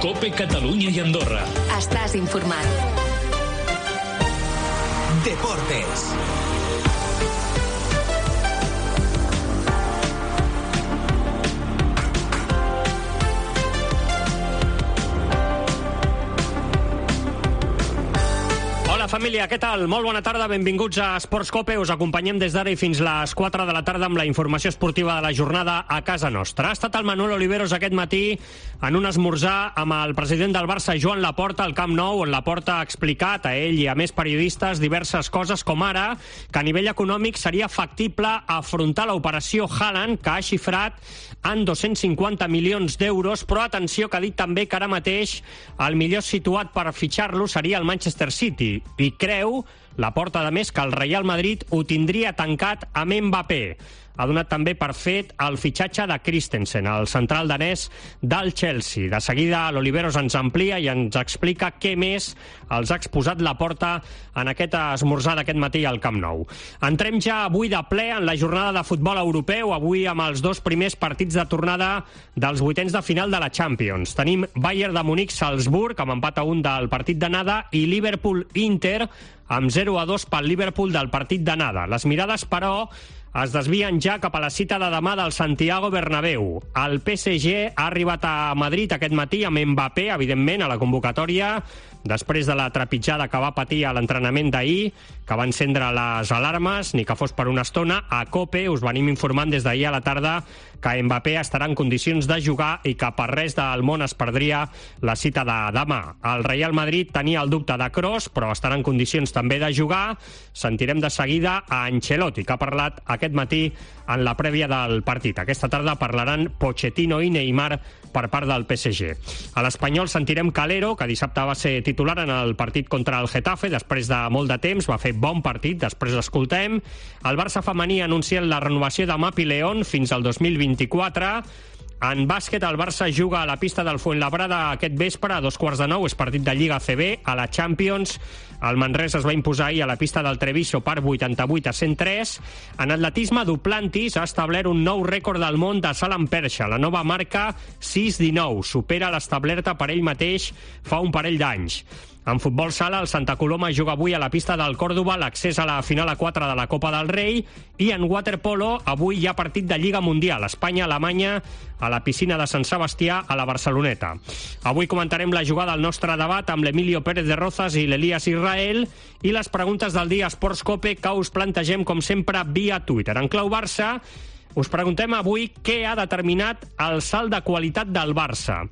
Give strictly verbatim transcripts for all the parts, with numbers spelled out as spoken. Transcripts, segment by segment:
COPE Catalunya i Andorra. Estàs informat. Deportes. Família, què tal? Molt bona tarda, benvinguts a Esports Cope. Us acompanyem des d'ara i fins les quatre de la tarda amb la informació esportiva de la jornada a casa nostra. Ha estat el Manuel Oliveros aquest matí en un esmorzar amb el president del Barça, Joan Laporta, al Camp Nou, on Laporta ha explicat a ell i a més periodistes diverses coses, com ara que a nivell econòmic seria factible afrontar l'operació Haaland, que ha xifrat en dos-cents cinquanta milions d'euros, però atenció, que ha dit també que ara mateix el millor situat per fitxar-lo seria el Manchester City, i creu, Laporta, a més, que el Real Madrid ho tindria tancat amb Mbappé. Ha donat també per fet el fitxatge de Christensen, el central danès del Chelsea. De seguida l'Oliveros ens amplia i ens explica què més els ha exposat Laporta en aquest esmorzar d'aquest matí al Camp Nou. Entrem ja avui de ple en la jornada de futbol europeu, avui amb els dos primers partits de tornada dels vuitens de final de la Champions. Tenim Bayern de Munic-Salzburg, amb empat a un del partit d'anada, i Liverpool-Inter, amb zero a dos pel Liverpool del partit d'anada. Les mirades, però, es desvien ja cap a la cita de demà del Santiago Bernabéu. El P S G ha arribat a Madrid aquest matí amb Mbappé, evidentment, a la convocatòria, després de la trepitjada que va patir a l'entrenament d'ahir, que va encendre les alarmes, ni que fos per una estona. A COPE us venim informant des d'ahir a la tarda que Mbappé estarà en condicions de jugar i que per res del món es perdria la cita de demà. El Real Madrid tenia el dubte de Kroos, però estarà en condicions també de jugar. Sentirem de seguida a Ancelotti, que ha parlat aquest matí en la prèvia del partit. Aquesta tarda parlaran Pochettino i Neymar per part del P S G. A l'Espanyol sentirem Calero, que dissabte va ser titular en el partit contra el Getafe, després de molt de temps, va fer bon partit, després l'escoltem. El Barça femení ha anunciat la renovació de Mapi León fins al dos mil vint-i-quatre. En bàsquet, el Barça juga a la pista del Fuenlabrada aquest vespre a dos quarts de nou, és partit de Lliga C B. A la Champions, el Manresa es va imposar ahir a la pista del Treviso per vuitanta-vuit a cent tres. En atletisme, Duplantis ha establert un nou rècord del món de salt amb perxa. La nova marca sis dinou supera l'establerta per ell mateix fa un parell d'anys. En futbol sala, el Santa Coloma juga avui a la pista del Còrdova l'accés a la final a quatre de la Copa del Rei, i en waterpolo avui hi ha partit de Lliga Mundial, Espanya-Alemanya, a la piscina de Sant Sebastià, a la Barceloneta. Avui comentarem la jugada al nostre debat amb l'Emilio Pérez de Rozas i l'Elias Israel, i les preguntes del dia Esports Cope que us plantegem, com sempre, via Twitter. En clau Barça, us preguntem avui què ha determinat el salt de qualitat del Barça.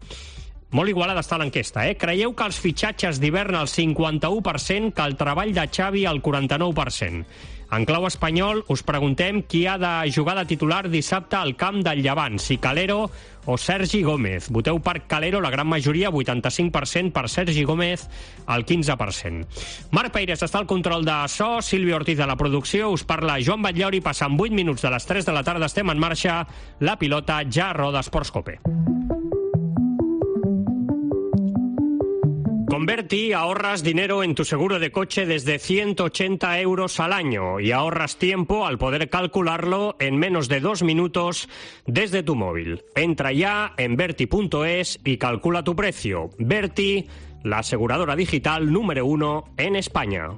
Molt igualada està l'enquesta, eh? Creieu que els fitxatges d'hivern al cinquanta-u per cent, que el treball de Xavi al quaranta-nou per cent. En clau espanyol us preguntem qui ha de jugar de titular dissabte al camp del Llevant, si Calero o Sergi Gómez. Voteu per Calero, la gran majoria, vuitanta-cinc per cent, per Sergi Gómez, el quinze per cent. Marc Peires està al control de so, Sílvia Ortiz de la producció, us parla Joan Batllauri, passant vuit minuts de les tres de la tarda, estem en marxa, la pilota ja roda Esports Cope. Con Berti ahorras dinero en tu seguro de coche desde ciento ochenta euros al año y ahorras tiempo al poder calcularlo en menos de dos minutos desde tu móvil. Entra ya en Berti punto es y calcula tu precio. Berti, la aseguradora digital número uno en España.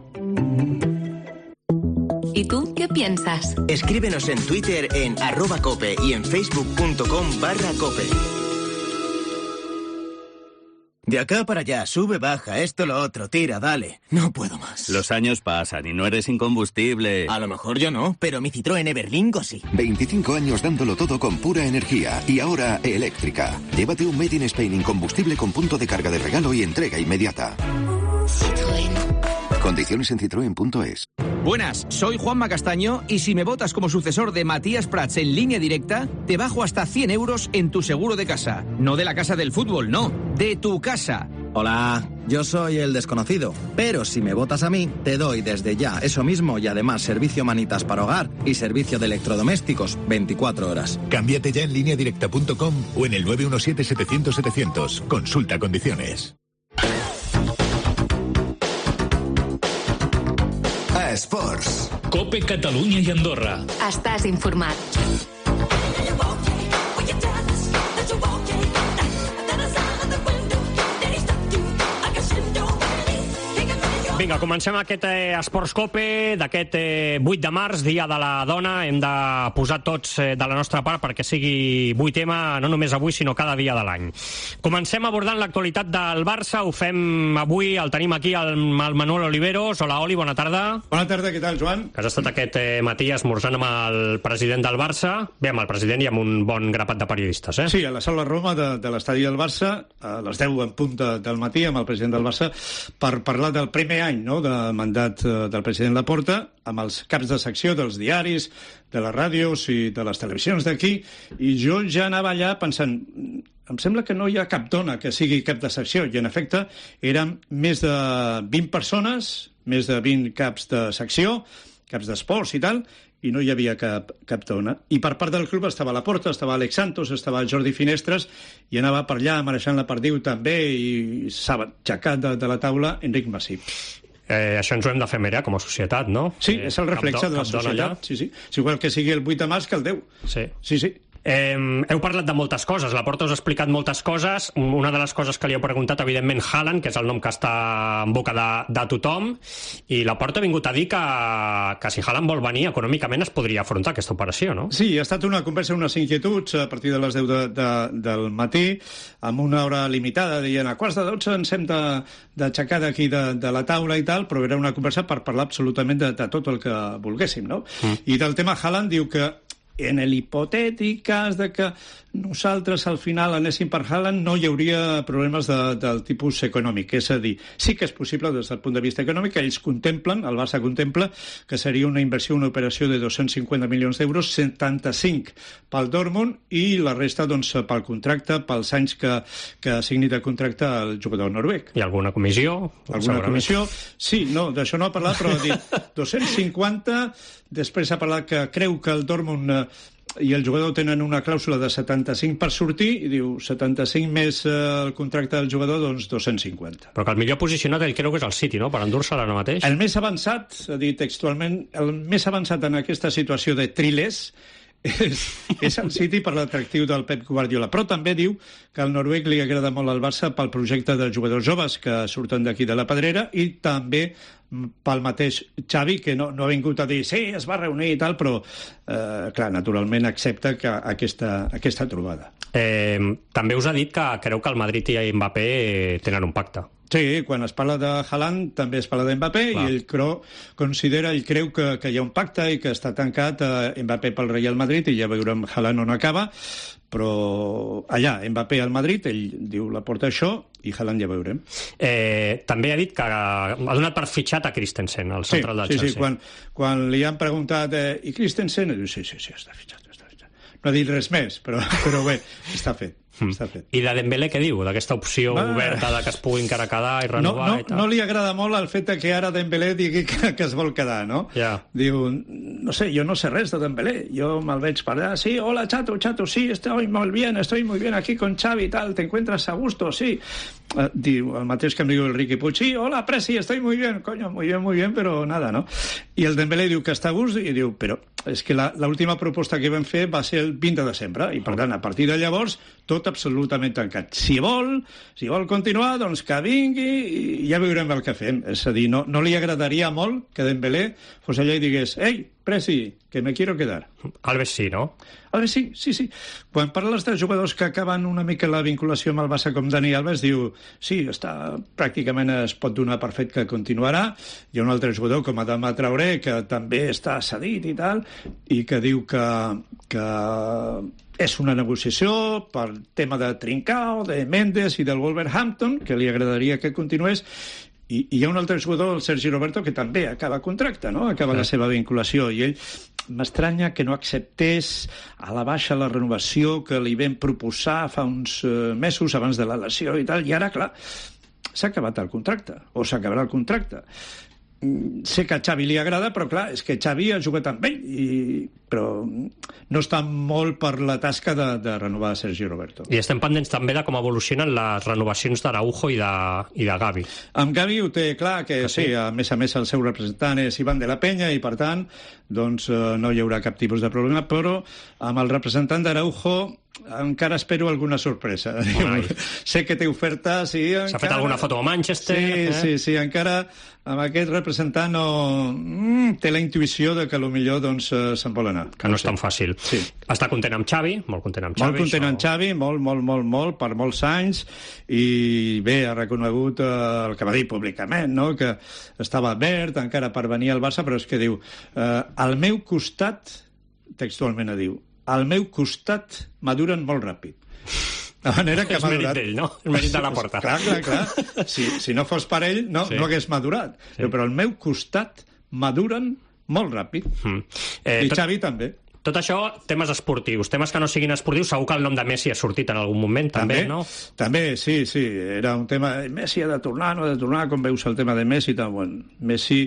¿Y tú qué piensas? Escríbenos en Twitter en arroba cope y en facebook.com barra cope. De acá para allá, sube, baja, esto, lo otro, tira, dale. No puedo más. Los años pasan y no eres incombustible. A lo mejor yo no, pero mi Citroën Everlingo sí. veinticinco años dándolo todo con pura energía y ahora eléctrica. Llévate un Made in Spain incombustible con punto de carga de regalo y entrega inmediata. Citroën. Condiciones en citroen punto es. Buenas, soy Juanma Castaño y si me votas como sucesor de Matías Prats en Línea Directa, te bajo hasta cien euros en tu seguro de casa. No de la casa del fútbol, no, de tu casa. Hola, yo soy el desconocido, pero si me votas a mí, te doy desde ya eso mismo y además servicio manitas para hogar y servicio de electrodomésticos veinticuatro horas. Cámbiate ya en línea directa punto com o en el nueve uno siete setecientos setecientos. Consulta condiciones. Esports. COPE Catalunya i Andorra. Estàs informat. Vinga, comencem aquest eh, Esportscope d'aquest eh, vuit de març, Dia de la Dona. Hem de posar tots eh, de la nostra part perquè sigui avui tema, no només avui, sinó cada dia de l'any. Comencem abordant l'actualitat del Barça. Ho fem avui, el tenim aquí, el, el Manuel Oliveros. Hola, Oli, bona tarda. Bona tarda, què tal, Joan? Que has estat aquest eh, matí esmorzant amb el president del Barça. Bé, amb el president i amb un bon grapat de periodistes, eh? Sí, a la sala Roma de, de l'estadi del Barça, a les deu en punt de, del matí, amb el president del Barça, per parlar del primer any, no?, de mandat del president Laporta, amb els caps de secció dels diaris, de les ràdios i de les televisions d'aquí, i jo ja anava allà pensant, em sembla que no hi ha cap dona que sigui cap de secció, i en efecte eren més de vint persones, més de vint caps de secció, caps d'esports i tal, i no hi havia cap, cap dona. I per part del club estava Laporta, estava Alex Santos, estava Jordi Finestres, i anava per allà marejant la perdiu també, i s'ha aixecat de, de la taula Enric Masip. Eh, això ens ho hem de fer mirar com a societat, no? Sí, és el reflexe de la societat. Sí, sí. És igual que sigui el vuit de març que el deu. Sí. Sí, sí. Eh, heu parlat de moltes coses, Laporta us ha explicat moltes coses. Una de les coses que li heu preguntat, evidentment, Haaland, que és el nom que està en boca de, de tothom, i Laporta ha vingut a dir que, que si Haaland vol venir econòmicament es podria afrontar aquesta operació, no? Sí, ha estat una conversa, unes inquietuds a partir de les deu de, de, del matí, amb una hora limitada, dient a quarts de dotze ens hem d'aixecar d'aquí de, de la taula i tal, però era una conversa per parlar absolutament de, de tot el que volguéssim, no? Mm. I del tema Haaland diu que en l'hipotètic cas de que nosaltres al final anéssim per Haaland no hi hauria problemes de, del tipus econòmic. És a dir, sí que és possible des del punt de vista econòmic, ells contemplen, el Barça contempla, que seria una inversió, una operació de dos-cents cinquanta milions d'euros, setanta-cinc pel Dortmund i la resta doncs, pel contracte, pels anys que, que signi de contracte el jugador noruec. I alguna comissió? Alguna comissió? Sí, no, d'això no ha parlat, però ha dit dos-cents cinquanta, després ha parlat que creu que el Dortmund eh, i el jugador tenen una clàusula de setanta-cinc per sortir, i diu setanta-cinc més eh, el contracte del jugador, doncs dos-cents cinquanta. Però que el millor posicionat ell creu que és el City, no?, per endur-se-la ara mateix. El més avançat, ha dit textualment, el més avançat en aquesta situació de trilers és, és el City per l'atractiu del Pep Guardiola, però també diu que al noruec li agrada molt al Barça pel projecte de jugadors joves que surten d'aquí de la Pedrera, i també pel mateix Xavi, que no, no ha vingut a dir sí, es va reunir i tal, però eh, clar, naturalment accepta que aquesta, aquesta trobada. Eh, també us ha dit que creu que el Madrid i Mbappé tenen un pacte. Sí, quan es parla de Haaland també es parla d'Mbappé, i ell creu, considera, ell creu que, que hi ha un pacte i que està tancat eh, Mbappé pel Real Madrid, i ja veurem Haaland on acaba, però allà, Mbappé al Madrid, ell diu Laporta això, i Haaland ja veurem. Eh, també ha dit que ha donat per fitxat a Christensen, el central del sí, Chelsea. Sí, sí, quan, quan li han preguntat eh, i Christensen, diu sí, sí, sí, està fitxat, està fitxat. No ha dit res més, però, però bé, està fet. Està fet. I de Dembélé què diu? D'aquesta opció Va. oberta de que es pugui encara quedar i renovar no, no, i tal? No li agrada molt el fet que ara Dembélé digui que, que es vol quedar, no? Yeah. Diu, no sé, jo no sé res de Dembélé, jo me'l veig per allà, sí, hola Chato, Chato, sí, estoy muy bien, estoy muy bien aquí con Xavi y tal, te encuentras a gusto, sí. Uh, diu, el mateix que em diu el Riqui Puig, sí, hola Presi, estoy muy bien, coño, muy bien, muy bien, però nada, no? I el Dembélé diu que està a gust, i diu, però és que l'última proposta que vam fer va ser el vint de desembre, i per tant, a partir de llavors, tot absolutament tancat. Si vol, si vol continuar, doncs que vingui i ja veurem el que fem. És a dir, no, no li agradaria molt que Dembélé fos allà i digués «Ei, Presi, que me quiero quedar». Alves sí, no? Alves sí, sí, sí. Quan parles de jugadors que acaben una mica la vinculació amb el Barça com Dani Alves, diu sí, està, pràcticament es pot donar per fet que continuarà. Hi ha un altre jugador com Adama Traoré, que també està cedit i tal, i que diu que, que és una negociació per tema de Trincao, de Mendes i del Wolverhampton, que li agradaria que continués. I, i hi ha un altre jugador, el Sergi Roberto, que també acaba contracte, no? Acaba sí. la seva vinculació, i ell m'estranya que no acceptés a la baixa la renovació que li vam proposar fa uns uh, mesos abans de la lesió i tal, i ara, clar, s'ha acabat el contracte, o s'acabarà el contracte. Sé que a Xavi li agrada, però clar, és que Xavi ha jugat amb ell, i... però no està molt per la tasca de, de renovar Sergi Roberto. I estem pendents també de com evolucionen les renovacions d'Araujo i de, i de Gavi. Amb Gavi ho té clar, que, que sí, sí, a més a més el seu representant és Ivan de la Peña, i per tant doncs, no hi haurà cap tipus de problema, però amb el representant d'Araujo encara espero alguna sorpresa. Sé que té oferta, sí. S'ha encara... fet alguna foto a Manchester. Sí, eh? sí, sí, encara amb aquest representant no... mm, té la intuïció de que potser doncs, se'n vol anar. Que no, no és tan fàcil. Sí. Està content amb Xavi, molt content amb Xavi. Molt content amb Xavi, molt, molt, molt, molt, per molts anys, i bé, ha reconegut eh, el que va dir públicament, no? Que estava verd encara per venir al Barça, però és que diu, eh, al meu costat, textualment diu, al meu costat maduren molt ràpid. De manera que és mèrit d'ell, no? És mèrit de la porta. Clar, clar, clar. Si, si no fos per ell, no, sí. no hagués madurat. Sí. Però al meu costat maduren molt ràpid. Mm. Eh, I Xavi tot... també. Tot això, temes esportius. Temes que no siguin esportius, segur que el nom de Messi ha sortit en algun moment, també, també no? També, sí, sí. Era un tema... Messi ha de tornar, no ha de tornar, com veus el tema de Messi? Tant, bueno, Messi,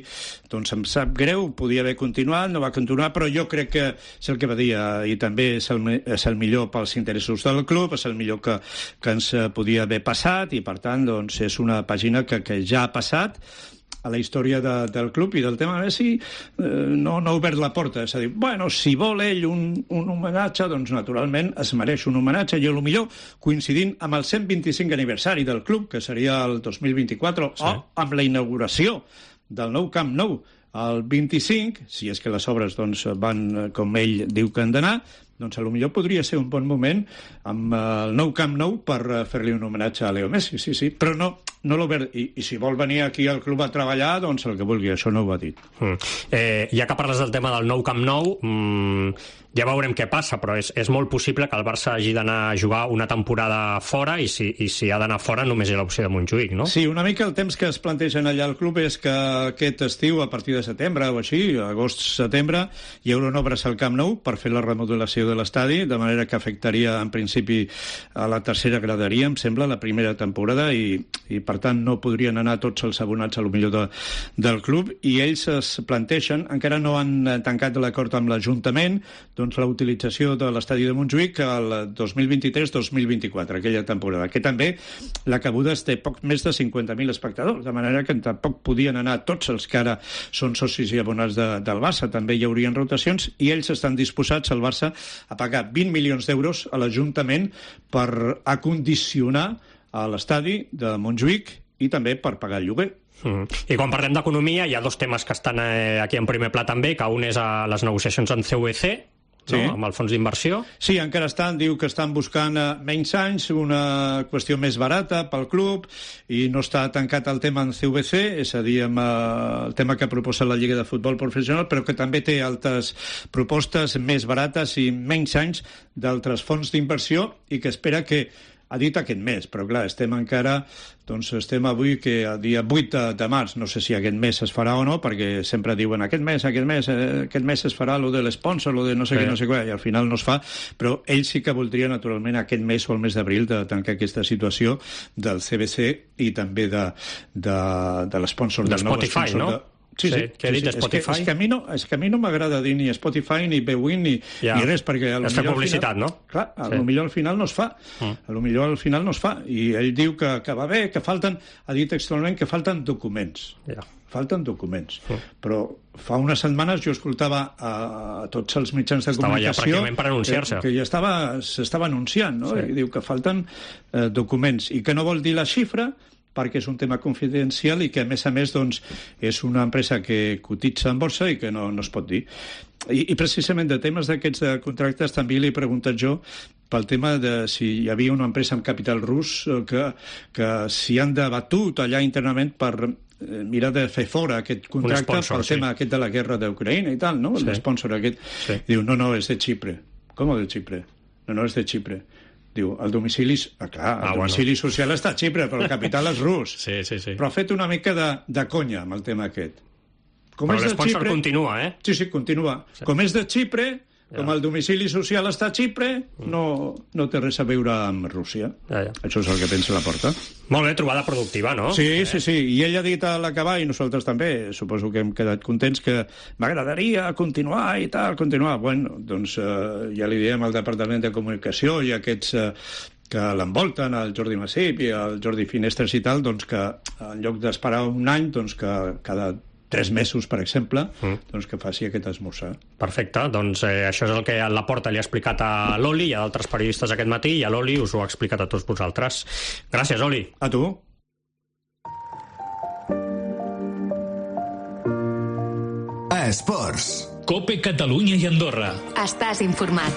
doncs em sap greu, podia haver continuat, no va continuar, però jo crec que és el que va dir, i també és el, és el millor pels interessos del club, és el millor que, que ens podia haver passat, i per tant, doncs, és una pàgina que, que ja ha passat a la història de, del club, i del tema Messi eh, no, no ha obert la porta. És a dir, bueno, si vol ell un, un homenatge, doncs naturalment es mereix un homenatge, i potser coincidint amb el cent vint-i-cinc aniversari del club, que seria el dos mil vint-i-quatre, sí. o amb la inauguració del nou Camp Nou el vint-i-cinc, si és que les obres doncs, van com ell diu que han d'anar, doncs potser podria ser un bon moment amb el nou Camp Nou per fer-li un homenatge a Leo Messi, sí, sí, però no, no l'ha obert, i, i si vol venir aquí al club a treballar, doncs el que vulgui, això no ho ha dit. Mm. Eh, ja que parles del tema del nou Camp Nou, mm, ja veurem què passa, però és, és molt possible que el Barça hagi d'anar a jugar una temporada fora, i si, i si ha d'anar fora només hi ha l'opció de Montjuïc, no? Sí, una mica el temps que es plantegen allà al club és que aquest estiu, a partir de setembre o així, agost-setembre, hi haurà obres al Camp Nou per fer la remodelació de l'estadi, de manera que afectaria en principi a la tercera graderia, em sembla, la primera temporada, i, i per tant no podrien anar tots els abonats a lo millor de, del club, i ells es plantegen, encara no han tancat l'acord amb l'Ajuntament, doncs la utilització de l'estadi de Montjuïc el dos mil vint-i-tres dos mil vint-i-quatre, aquella temporada, que també la cabuda té poc més de cinquanta mil espectadors, de manera que tampoc podien anar tots els que ara són socis i abonats de, del Barça, també hi haurien rotacions, i ells estan disposats, al Barça, a pagar vint milions d'euros a l'Ajuntament per acondicionar a l'estadi de Montjuïc i també per pagar el lloguer. Mm. I quan parlem d'economia, hi ha dos temes que estan eh, aquí en primer pla també, que un és a les negociacions amb C V C, no? Sí. Amb el fons d'inversió. Sí, encara estan, diu que estan buscant uh, menys anys, una qüestió més barata pel club, i no està tancat el tema en C V C, és a dir, amb uh, el tema que proposa la Lliga de Futbol Professional, però que també té altres propostes més barates i menys anys d'altres fons d'inversió, i que espera que ha dit aquest mes, però clar, estem encara, doncs estem avui que a dia vuit de, de març, no sé si aquest mes es farà o no, perquè sempre diuen aquest mes, aquest mes, eh, aquest mes es farà lo de l'esponsor, lo de no sé sí. què, no sé què, i al final no es fa, però ell sí que voldria naturalment aquest mes o el mes d'abril de tancar aquesta situació del C V C i també de, de, de l'esponsor de del nou Spotify, no? De... Sí, sí, que ha dit sí, sí. Spotify. És que, és que a mi no, és que a mi no m'agrada dir ni Spotify, ni Bwin, ni, ja. ni res, perquè a lo és millor publicitat, al final, no? Clar, a sí. lo millor al final no es fa. Mm. A lo millor al final no es fa. I ell diu que, que va bé, que falten, ha dit textualment que falten documents. Ja. Falten documents. Mm. Però fa unes setmanes jo escoltava a, a tots els mitjans de estava comunicació... Estava ja pràcticament per anunciar-se. Que, que ja estava, s'estava anunciant, no? Sí. I diu que falten eh, documents, i que no vol dir la xifra, perquè és un tema confidencial i que, a més a més, doncs, és una empresa que cotitza en borsa i que no, no es pot dir. I, i precisament de temes d'aquests de contractes també li he preguntat jo pel tema de si hi havia una empresa amb capital rus que, que s'hi han debatut allà internament per mirar de fer fora aquest contracte sponsor, pel sí. tema aquest de la guerra d'Ucraïna i tal, no? Sí. L'esponsor aquest. Sí. Diu, no, no, és de Xipre. Com de Xipre? No, no, és de Xipre. Diu, el domicili... Ah, clar, el ah, domicili bueno. social està a Xipre, però el capital és rus. Sí, sí, sí. Però ha fet una mica de, de conya amb el tema aquest. Com però l'esponsor Xipre... continua, eh? Sí, sí, continua. Sí. Com és de Xipre, ja. com el domicili social està a Xipre, no, no té res a veure amb Rússia. Ja, ja. Això és el que pensa Laporta. Molt bé, trobada productiva, no? Sí, eh? sí, sí. I ell ha dit a l'acabar, i nosaltres també, suposo que hem quedat contents, que m'agradaria continuar i tal, continuar. Bueno, doncs eh, ja li diem al Departament de Comunicació i aquests... Eh, que l'envolten, el Jordi Masip i el Jordi Finestres i tal, doncs que en lloc d'esperar un any, doncs que cada tres mesos, per exemple, mm. doncs que faci aquest esmorzar. Perfecte, doncs eh, això és el que a Laporta li ha explicat a l'Oli i a d'altres periodistes aquest matí, i a l'Oli us ho ha explicat a tots vosaltres. Gràcies, Oli. A tu. Esports. Cope Catalunya i Andorra. Estàs informat.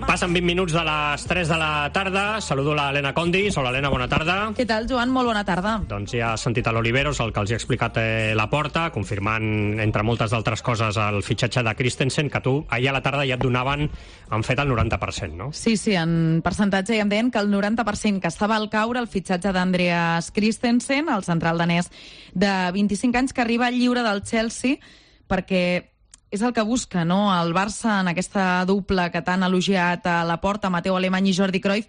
Passen vint minuts de les tres de la tarda. Saludo l'Helena Condis. Hola, Helena, bona tarda. Què tal, Joan? Molt bona tarda. Doncs ja has sentit a l'Oliveros el que els ha explicat eh, Laporta, confirmant, entre moltes d'altres coses, el fitxatge de Christensen, que tu ahir a la tarda ja et donaven, han fet el noranta per cent, no? Sí, sí, en percentatge ja em deien que el noranta per cent que estava al caure el fitxatge d'Andreas Christensen, el central danès de vint-i-cinc anys, que arriba lliure del Chelsea, perquè és el que busca, no? El Barça, en aquesta dupla que t'han elogiat a Laporta, Mateu Alemany i Jordi Cruyff,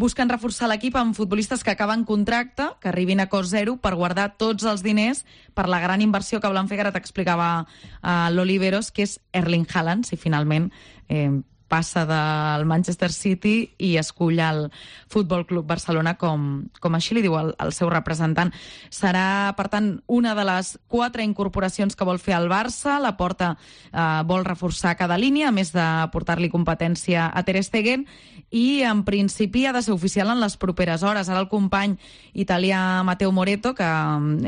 busquen reforçar l'equip amb futbolistes que acaben contracte, que arribin a cost zero per guardar tots els diners per la gran inversió que volen fer, que ara t'explicava a l'Oliveros, que és Erling Haaland, si finalment eh, passa del Manchester City i escull el Futbol Club Barcelona, com, com així li diu el, el seu representant. Serà, per tant, una de les quatre incorporacions que vol fer el Barça. Laporta eh, vol reforçar cada línia, a més de portar-li competència a Ter Stegen, i en principi ha de ser oficial en les properes hores. Ara el company italià Matteo Moretto, que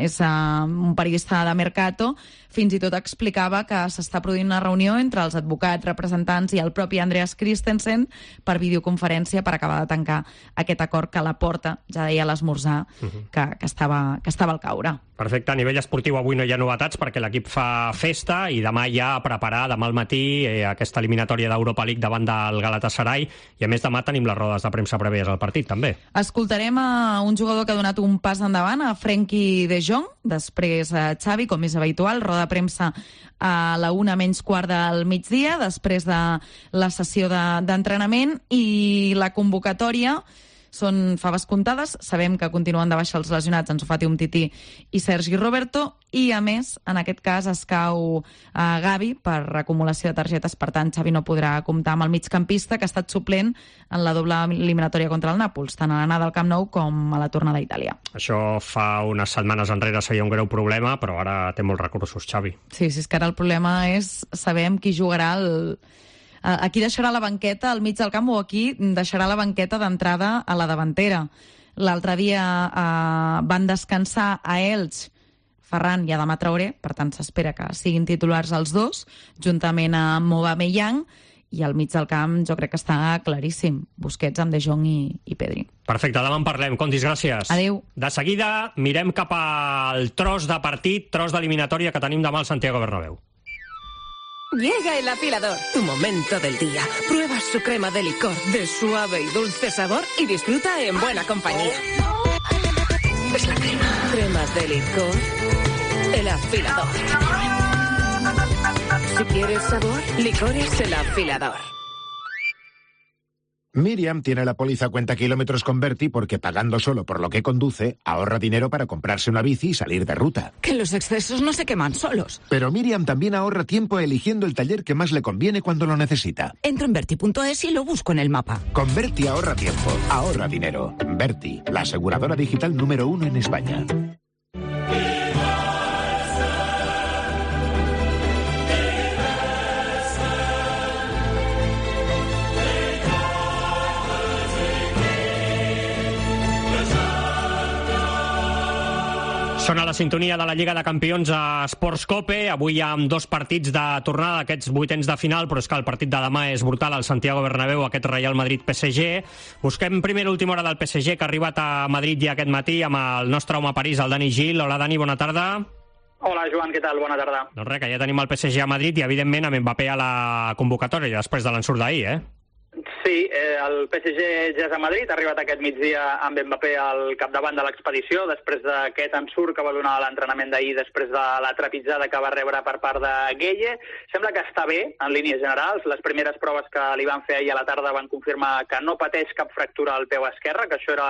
és eh, un periodista de Mercato, fins i tot explicava que s'està produint una reunió entre els advocats, representants i el propi Andreas Christensen per videoconferència per acabar de tancar aquest acord que Laporta ja deia a l'esmorzar uh-huh. que, que, estava, que estava al caure. Perfecte, a nivell esportiu avui no hi ha novetats perquè l'equip fa festa i demà ja a preparar, demà al matí, eh, aquesta eliminatòria d'Europa League davant del Galatasaray, i a més demà tenim les rodes de premsa prèvies al partit també. Escoltarem a un jugador que ha donat un pas endavant, a Frenkie de Jong, després a Xavi, com és habitual, roda de premsa a la una menys quart del migdia, després de la sessió de, d'entrenament, i la convocatòria són faves comptades. Sabem que continuen de baixa els lesionats Ansu Fati, Umtiti i Sergi Roberto, i a més, en aquest cas, es cau a Gavi per acumulació de targetes. Per tant, Xavi no podrà comptar amb el migcampista, que ha estat suplent en la doble eliminatòria contra el Nàpols, tant a l'anada al Camp Nou com a la tornada a Itàlia. Això fa unes setmanes enrere seria un greu problema, però ara té molts recursos, Xavi. Sí, sí, és que ara el problema és saber amb qui jugarà el... a qui deixarà la banqueta al mig del camp o a qui deixarà la banqueta d'entrada a la davantera. L'altre dia eh, van descansar a Elx Ferran i Adama Traoré, per tant s'espera que siguin titulars els dos, juntament amb Aubameyang, i al mig del camp jo crec que està claríssim. Busquets amb De Jong i, i Pedri. Perfecte, demà en parlem. Condis, gràcies. Adéu. De seguida mirem cap al tros de partit, tros d'eliminatòria que tenim demà al Santiago Bernabéu. Llega el afilador, tu momento del día. Prueba su crema de licor de suave y dulce sabor y disfruta en buena compañía. Es la crema. Cremas de licor. El afilador. Si quieres sabor, licores el afilador. Miriam tiene la póliza cuenta kilómetros con Berti porque pagando solo por lo que conduce, ahorra dinero para comprarse una bici y salir de ruta. Que los excesos no se queman solos. Pero Miriam también ahorra tiempo eligiendo el taller que más le conviene cuando lo necesita. Entro en Berti punto es y lo busco en el mapa. Con Berti ahorra tiempo, ahorra dinero. Berti, la aseguradora digital número uno en España. Sona la sintonia de la Lliga de Campions a Sports Cope, avui amb dos partits de tornada d'aquests vuitens de final, però és que el partit de demà és brutal al Santiago Bernabéu, aquest Real Madrid-P S G. Busquem primera última hora del P S G, que ha arribat a Madrid ja aquest matí amb el nostre home a París, el Dani Gil. Hola, Dani, bona tarda. Hola, Joan, què tal? Bona tarda. Doncs res, que ja tenim el P S G a Madrid i, evidentment, amb Mbappé a la convocatòria després de l'ensurt d'ahir, eh? Sí, eh, el P S G ja és a Madrid, ha arribat aquest migdia amb Mbappé al capdavant de l'expedició, després d'aquest ensurt que va donar l'entrenament d'ahir, després de la trepitjada que va rebre per part de Gueye. Sembla que està bé, en línies generals. Les primeres proves que li van fer ahir a la tarda van confirmar que no pateix cap fractura al peu esquerre, que això era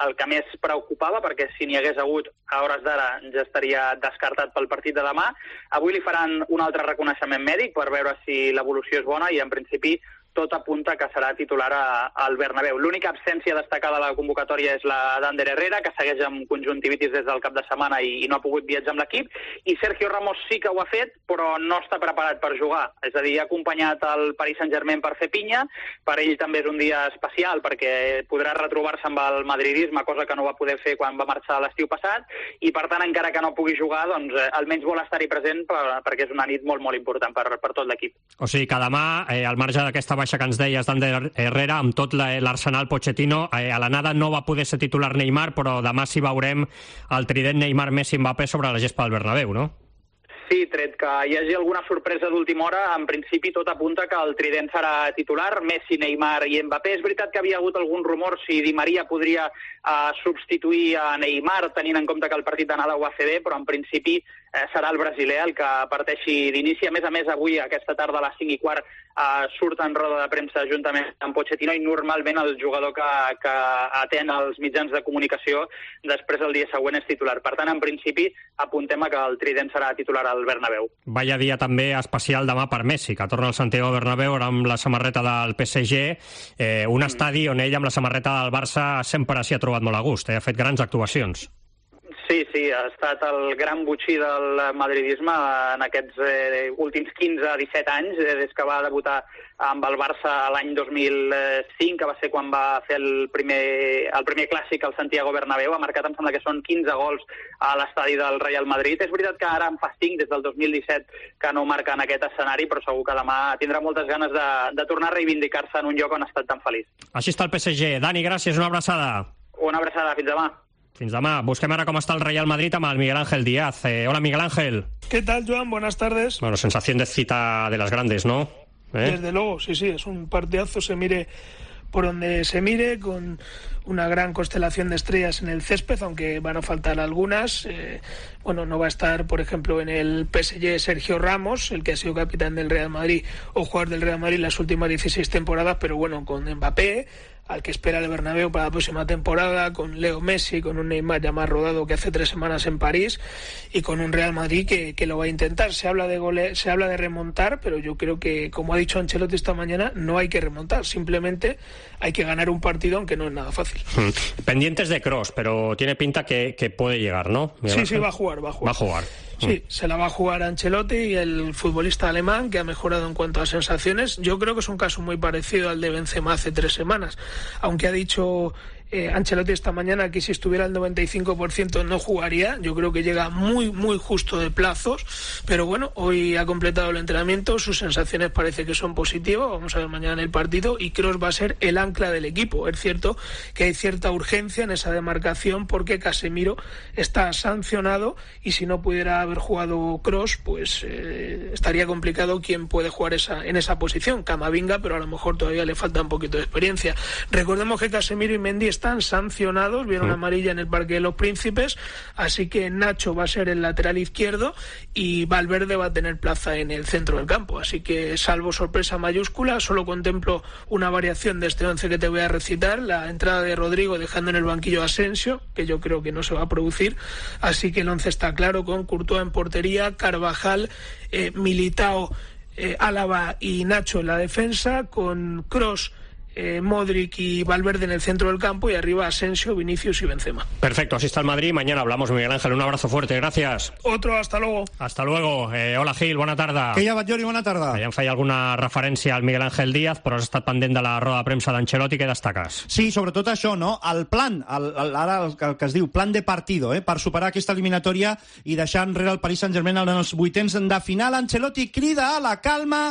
el que més preocupava, perquè si n'hi hagués hagut a hores d'ara ja estaria descartat pel partit de demà. Avui li faran un altre reconeixement mèdic per veure si l'evolució és bona i, en principi, tot apunta que serà titular a, al Bernabéu. L'única absència destacada de la convocatòria és la d'Ander Herrera, que segueix amb conjuntivitis des del cap de setmana i, i no ha pogut viatjar amb l'equip, i Sergio Ramos sí que ho ha fet, però no està preparat per jugar. És a dir, ha acompanyat el Paris Saint-Germain per fer pinya, per ell també és un dia especial perquè podrà retrobar-se amb el madridisme, cosa que no va poder fer quan va marxar l'estiu passat, i per tant, encara que no pugui jugar, doncs eh, almenys vol estar-hi present per, perquè és una nit molt, molt important per, per tot l'equip. O sigui que demà, eh, al marge d'aquesta baixa que ens deies d'Ander Herrera, amb tot l'Arsenal Pochettino, eh, a l'anada no va poder ser titular Neymar, però demà sí veurem el trident Neymar-Messi-Mbappé sobre la gespa del Bernabéu, no? Sí, tret que hi hagi alguna sorpresa d'última hora, en principi tot apunta que el trident serà titular, Messi, Neymar i Mbappé. És veritat que havia hagut algun rumor si Di Maria podria eh, substituir a Neymar, tenint en compte que el partit d'anada ho va fer bé, però en principi eh, serà el brasiler el que parteixi d'inici. A més a més, avui, aquesta tarda a les cinc i quart, eh, surt en roda de premsa juntament amb Pochettino, i normalment el jugador que, que atén els mitjans de comunicació després el dia següent és titular. Per tant, en principi, apuntem a que el trident serà titular al Bernabéu. Vaya dia també especial demà per Messi, que torna al Santiago Bernabéu amb la samarreta del P S G, eh, un estadi on ell amb la samarreta del Barça sempre s'hi ha trobat molt a gust, eh? Ha fet grans actuacions. Sí, sí, ha estat el gran botxí del madridisme en aquests eh, últims quinze a disset anys, eh, des que va debutar amb el Barça l'any dos mil cinc, que va ser quan va fer el primer, el primer clàssic al Santiago Bernabéu. Ha marcat, em sembla que són quinze gols a l'estadi del Real Madrid. És veritat que ara en fa cinc, des del dos mil disset, que no marca en aquest escenari, però segur que demà tindrà moltes ganes de, de tornar a reivindicar-se en un lloc on ha estat tan feliç. Així està el P S G. Dani, gràcies, una abraçada. Una abraçada, fins demà. Fins demà. Busquem ara com està el Real Madrid amb el Miguel Ángel Díaz. Eh, hola, Miguel Ángel. ¿Qué tal, Joan? Buenas tardes. Bueno, sensación de cita de las grandes, ¿no? ¿Eh? Desde luego, sí, sí, es un partidazo, se mire por donde se mire, con una gran constelación de estrellas en el césped, aunque van a faltar algunas. Eh, bueno, no va a estar, por ejemplo, en el P S G Sergio Ramos, el que ha sido capitán del Real Madrid o jugador del Real Madrid las últimas dieciséis temporadas, pero bueno, con Mbappé, al que espera el Bernabéu para la próxima temporada, con Leo Messi, con un Neymar ya más rodado que hace tres semanas en París, y con un Real Madrid que, que lo va a intentar. Se habla de gole, se habla de remontar, pero yo creo que, como ha dicho Ancelotti esta mañana, no hay que remontar, simplemente hay que ganar un partido, aunque no es nada fácil. Hmm. Pendientes de Kroos, pero tiene pinta que, que puede llegar, ¿no? Sí, sí, va a jugar, va a jugar. Va a jugar. Sí, se la va a jugar Ancelotti, y el futbolista alemán, que ha mejorado en cuanto a sensaciones. Yo creo que es un caso muy parecido al de Benzema hace tres semanas, aunque ha dicho eh, Ancelotti esta mañana que si estuviera al noventa y cinco por ciento no jugaría. Yo creo que llega muy, muy justo de plazos, pero bueno, hoy ha completado el entrenamiento, sus sensaciones parece que son positivas. Vamos a ver mañana en el partido, y Kroos va a ser el ancla del equipo. Es cierto que hay cierta urgencia en esa demarcación porque Casemiro está sancionado, y si no pudiera haber jugado Kroos, pues eh, estaría complicado quién puede jugar esa, en esa posición. Camavinga, pero a lo mejor todavía le falta un poquito de experiencia. Recordemos que Casemiro y Mendy están sancionados, vieron mm. amarilla en el Parque de los Príncipes, así que Nacho va a ser el lateral izquierdo y Valverde va a tener plaza en el centro del campo. Así que, salvo sorpresa mayúscula, solo contemplo una variación de este once que te voy a recitar: la entrada de Rodrigo dejando en el banquillo a Asensio, que yo creo que no se va a producir. Así que el once está claro, con Courtois en portería, Carvajal, eh, Militao, eh, Álava y Nacho en la defensa, con Kroos, Eh, Modric y Valverde en el centro del campo, y arriba Asensio, Vinicius y Benzema. Perfecto, así está el Madrid. Mañana hablamos, Miguel Ángel. Un abrazo fuerte, gracias. Otro, hasta luego. Hasta luego. Eh, hola, Gil, bona tarda. Que hi ha, Batllori, bona tarda. Ja em feia alguna referència al Miguel Ángel Díaz, però has estat pendent de la roda de premsa d'Ancelotti. Què destaques? Sí, sobretot això, no? El plan, el, el, ara el, el que es diu plan de partido, eh? Per superar aquesta eliminatòria i deixar enrere el Paris Saint-Germain en els vuitens de final. Ancelotti crida a la calma.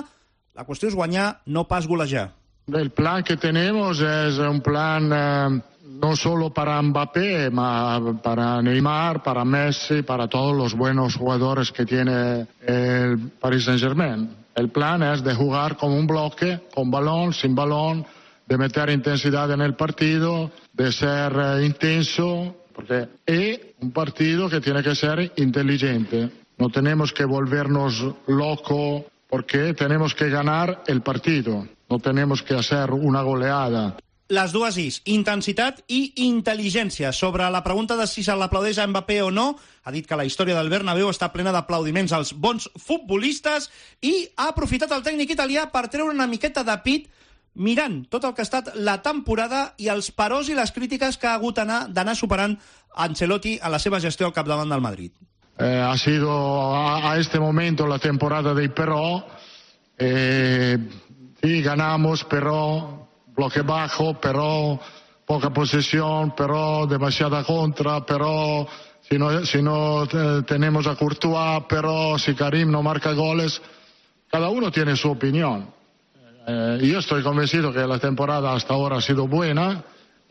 La qüestió és guanyar, no pas golejar. El plan que tenemos es un plan eh, no solo para Mbappé, ma para Neymar, para Messi, para todos los buenos jugadores que tiene el Paris Saint-Germain. El plan es de jugar como un bloque, con balón, sin balón, de meter intensidad en el partido, de ser eh, intenso, porque es un partido que tiene que ser inteligente. No tenemos que volvernos locos, porque tenemos que ganar el partido. No tenemos que hacer una goleada. Les dues is, intensitat i intel·ligència. Sobre la pregunta de si se l'aplaudeix a Mbappé o no, ha dit que la història del Bernabéu està plena d'aplaudiments als bons futbolistes, i ha aprofitat el tècnic italià per treure una miqueta de pit mirant tot el que ha estat la temporada i els peròs i les crítiques que ha hagut d'anar superant Ancelotti a la seva gestió al capdavant del Madrid. Eh, ha sido a, a este momento la temporada de pero. Eh, sí, ganamos, pero bloque bajo, pero poca posesión, pero demasiada contra, pero si no, si no eh, tenemos a Courtois, pero si Karim no marca goles. Cada uno tiene su opinión. Eh, yo estoy convencido que la temporada hasta ahora ha sido buena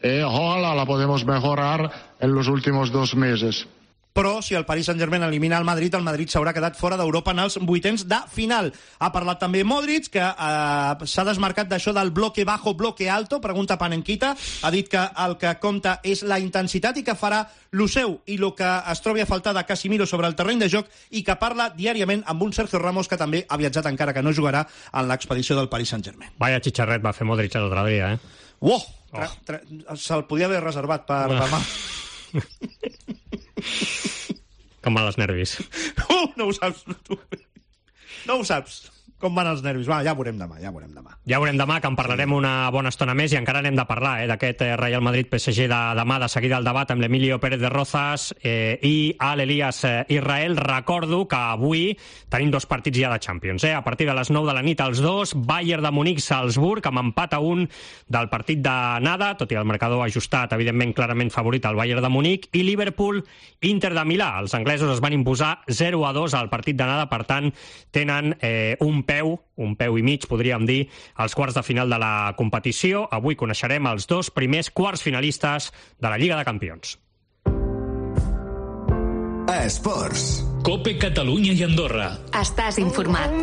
y ojalá la podemos mejorar en los últimos dos meses. Però si el Paris Saint-Germain elimina el Madrid, el Madrid s'haurà quedat fora d'Europa en els vuitens de final. Ha parlat també Modric, que eh, s'ha desmarcat d'això del bloque bajo, bloque alto, pregunta Panenquita. Ha dit que el que compta és la intensitat i que farà lo seu i el que es trobi a faltar de Casemiro sobre el terreny de joc, i que parla diàriament amb un Sergio Ramos que també ha viatjat, encara que no jugarà, en l'expedició del Paris Saint-Germain. Vaya xicharret va fer Modric l'altre dia, eh? Uoh! Oh. Se'l podia haver reservat per oh. demà. Com van els nervis. Uh, no ho saps, tu. No ho saps. Com van els nervis? Va, ja veurem demà, ja veurem demà. Ja veurem demà, que en parlarem una bona estona més, i encara n'hem de parlar, eh, d'aquest eh, Real Madrid-P S G de demà. De seguida el debat amb l'Emilio Pérez de Rozas eh, i Al Elias eh, Israel. Recordo que avui tenim dos partits ja de Champions. Eh? A partir de les nou de la nit, els dos, Bayern de Munic-Salzburg, amb empat a un del partit de nada, tot i el marcador ajustat, evidentment clarament favorit al Bayern de Munic, i Liverpool-Inter de Milà. Els anglesos es van imposar zero a dos al partit de nada, per tant, tenen eh, un peu, un peu i mig, podríem dir, als quarts de final de la competició. Avui coneixerem els dos primers quarts finalistes de la Lliga de Campions. Esports. Cope Catalunya i Andorra. Estàs informat.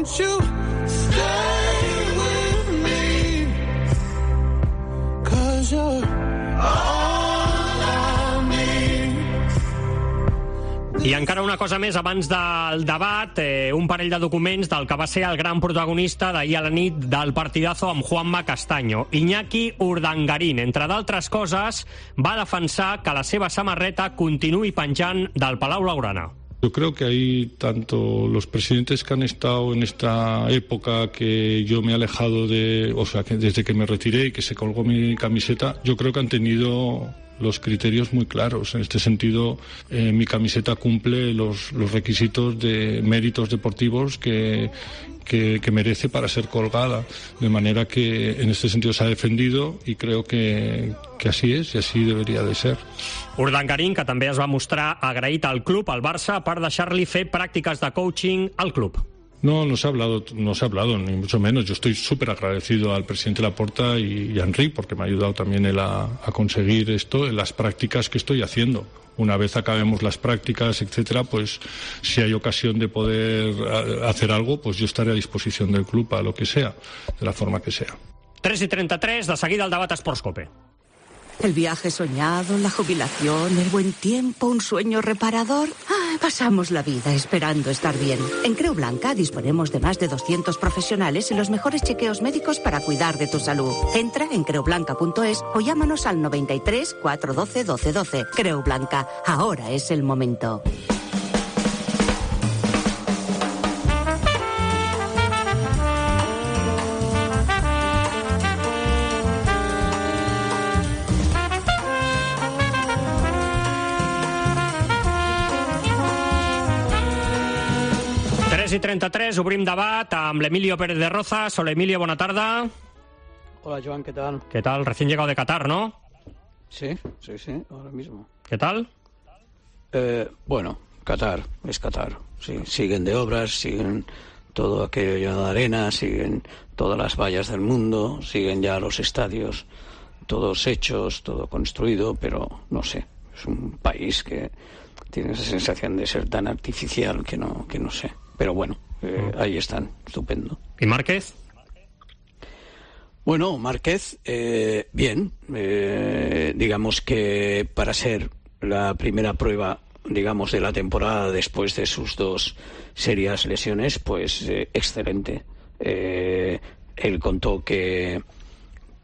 I encara una cosa més abans del debat, eh, un parell de documents del que va ser el gran protagonista d'ahir a la nit del partidazo amb Juanma Castaño. Iñaki Urdangarín, entre d'altres coses, va defensar que la seva samarreta continuï penjant del Palau Blaugrana. Yo creo que ahí tanto los presidentes que han estado en esta época que yo me he alejado de, o sea, que desde que me retiré y que se colgó mi camiseta, yo creo que han tenido los criterios muy claros. En este sentido, eh, mi camiseta cumple los, los requisitos de méritos deportivos que, que, que merece para ser colgada. De manera que en este sentido se ha defendido y creo que, que así es y así debería de ser. Urdangarín, que també es va mostrar agraït al club, al Barça, per deixar-li fer pràctiques de coaching al club. No, no se ha hablado, no se ha hablado, ni mucho menos. Yo estoy súper agradecido al presidente Laporta y, y a Enric, porque me ha ayudado también él a, a conseguir esto en las prácticas que estoy haciendo. Una vez acabemos las prácticas, etcétera, pues si hay ocasión de poder hacer algo, pues yo estaré a disposición del club a lo que sea, de la forma que sea. tres i trenta-tres, de seguida el debat Esports Cope. El viaje soñado, la jubilación, el buen tiempo, un sueño reparador. Ah, pasamos la vida esperando estar bien. En Creu Blanca disponemos de más de doscientos profesionales y los mejores chequeos médicos para cuidar de tu salud. Entra en creu blanca punto es o llámanos al noventa y tres, cuatrocientos doce, doce doce. Creu Blanca, ahora es el momento. tres i trenta-tres, obrim debat amb l'Emilio Pérez de Rozas. Hola, Emilio, bona tarda. Hola, Joan, ¿qué tal? ¿Qué tal? Recién llegado de Qatar, ¿no? Sí, sí, sí, ahora mismo. ¿Qué tal? Eh, bueno, Qatar, es Qatar. Sí, siguen de obras, siguen todo aquello de arena, siguen todas las vallas del mundo, siguen ya los estadios, todos hechos, todo construido, pero no sé, es un país que tiene esa sensación de ser tan artificial que no, que no sé. Pero bueno, eh, ahí están, estupendo. ¿Y Márquez? Bueno, Márquez, eh, bien. Eh, digamos que para ser la primera prueba, digamos, de la temporada después de sus dos serias lesiones, pues eh, excelente. Eh, él contó que,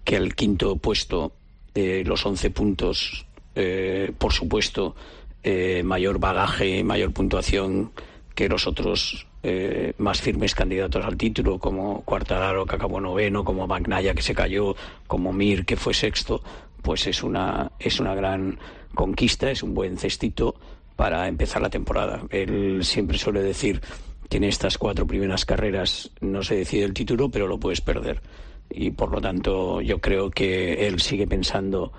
que el quinto puesto, eh, los once puntos, eh, por supuesto, eh, mayor bagaje, mayor puntuación que los otros eh, más firmes candidatos al título, como Quartararo, que acabó noveno, como Bagnaia, que se cayó, como Mir, que fue sexto, pues es una, es una gran conquista, es un buen cestito para empezar la temporada. Él siempre suele decir que en estas cuatro primeras carreras no se decide el título, pero lo puedes perder. Y por lo tanto yo creo que él sigue pensando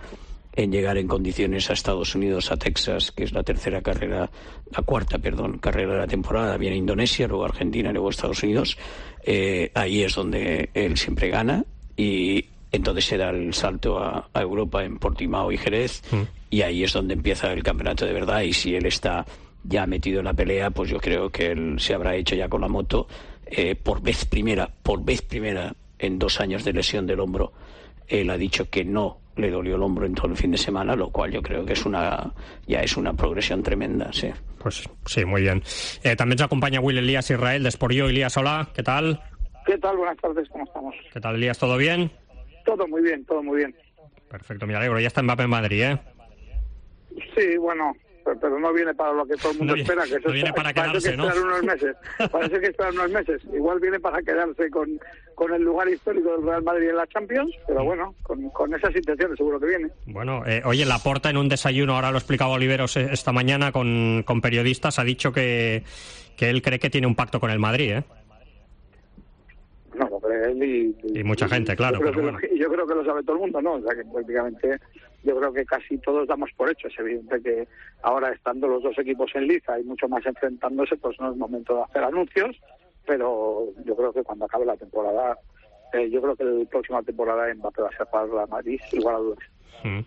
en llegar en condiciones a Estados Unidos, a Texas, que es la tercera carrera, la cuarta, perdón, carrera de la temporada. Viene Indonesia, luego Argentina, luego Estados Unidos. Eh, ahí es donde él siempre gana y entonces se da el salto a, a Europa en Portimao y Jerez mm. y ahí es donde empieza el campeonato de verdad. Y si él está ya metido en la pelea, pues yo creo que él se habrá hecho ya con la moto eh, por vez primera, por vez primera en dos años de lesión del hombro. Él ha dicho que no le dolió el hombro en todo el fin de semana, lo cual yo creo que es una ya es una progresión tremenda, sí. Pues sí, muy bien. Eh, también se acompaña Will Elías Israel de Esporio. Elías, hola, ¿qué tal? ¿Qué tal? Buenas tardes, ¿cómo estamos? ¿Qué tal, Elías? ¿Todo bien? Todo muy bien, todo muy bien. Perfecto, me alegro. Ya está Mbappé en Madrid, ¿eh? Sí, bueno, pero no viene para lo que todo el mundo no, espera, que eso no viene está, para quedarse, que ¿no? unos meses. Parece que esperar unos meses. Igual viene para quedarse con, con el lugar histórico del Real Madrid en la Champions, pero bueno, con, con esas intenciones seguro que viene. Bueno, eh, oye, Laporta en un desayuno, ahora lo explicaba Oliveros esta mañana con, con periodistas, ha dicho que, que él cree que tiene un pacto con el Madrid, ¿eh? No, lo cree él y, y, y mucha gente, claro. Yo creo, pero que bueno. lo, yo creo que lo sabe todo el mundo, ¿no? O sea, que prácticamente yo creo que casi todos damos por hecho. Es evidente que ahora, estando los dos equipos en liza y mucho más enfrentándose, pues no es momento de hacer anuncios, pero yo creo que cuando acabe la temporada, eh, yo creo que la próxima temporada Mbappé va a ser para la Madrid, igual a dudas. Mm.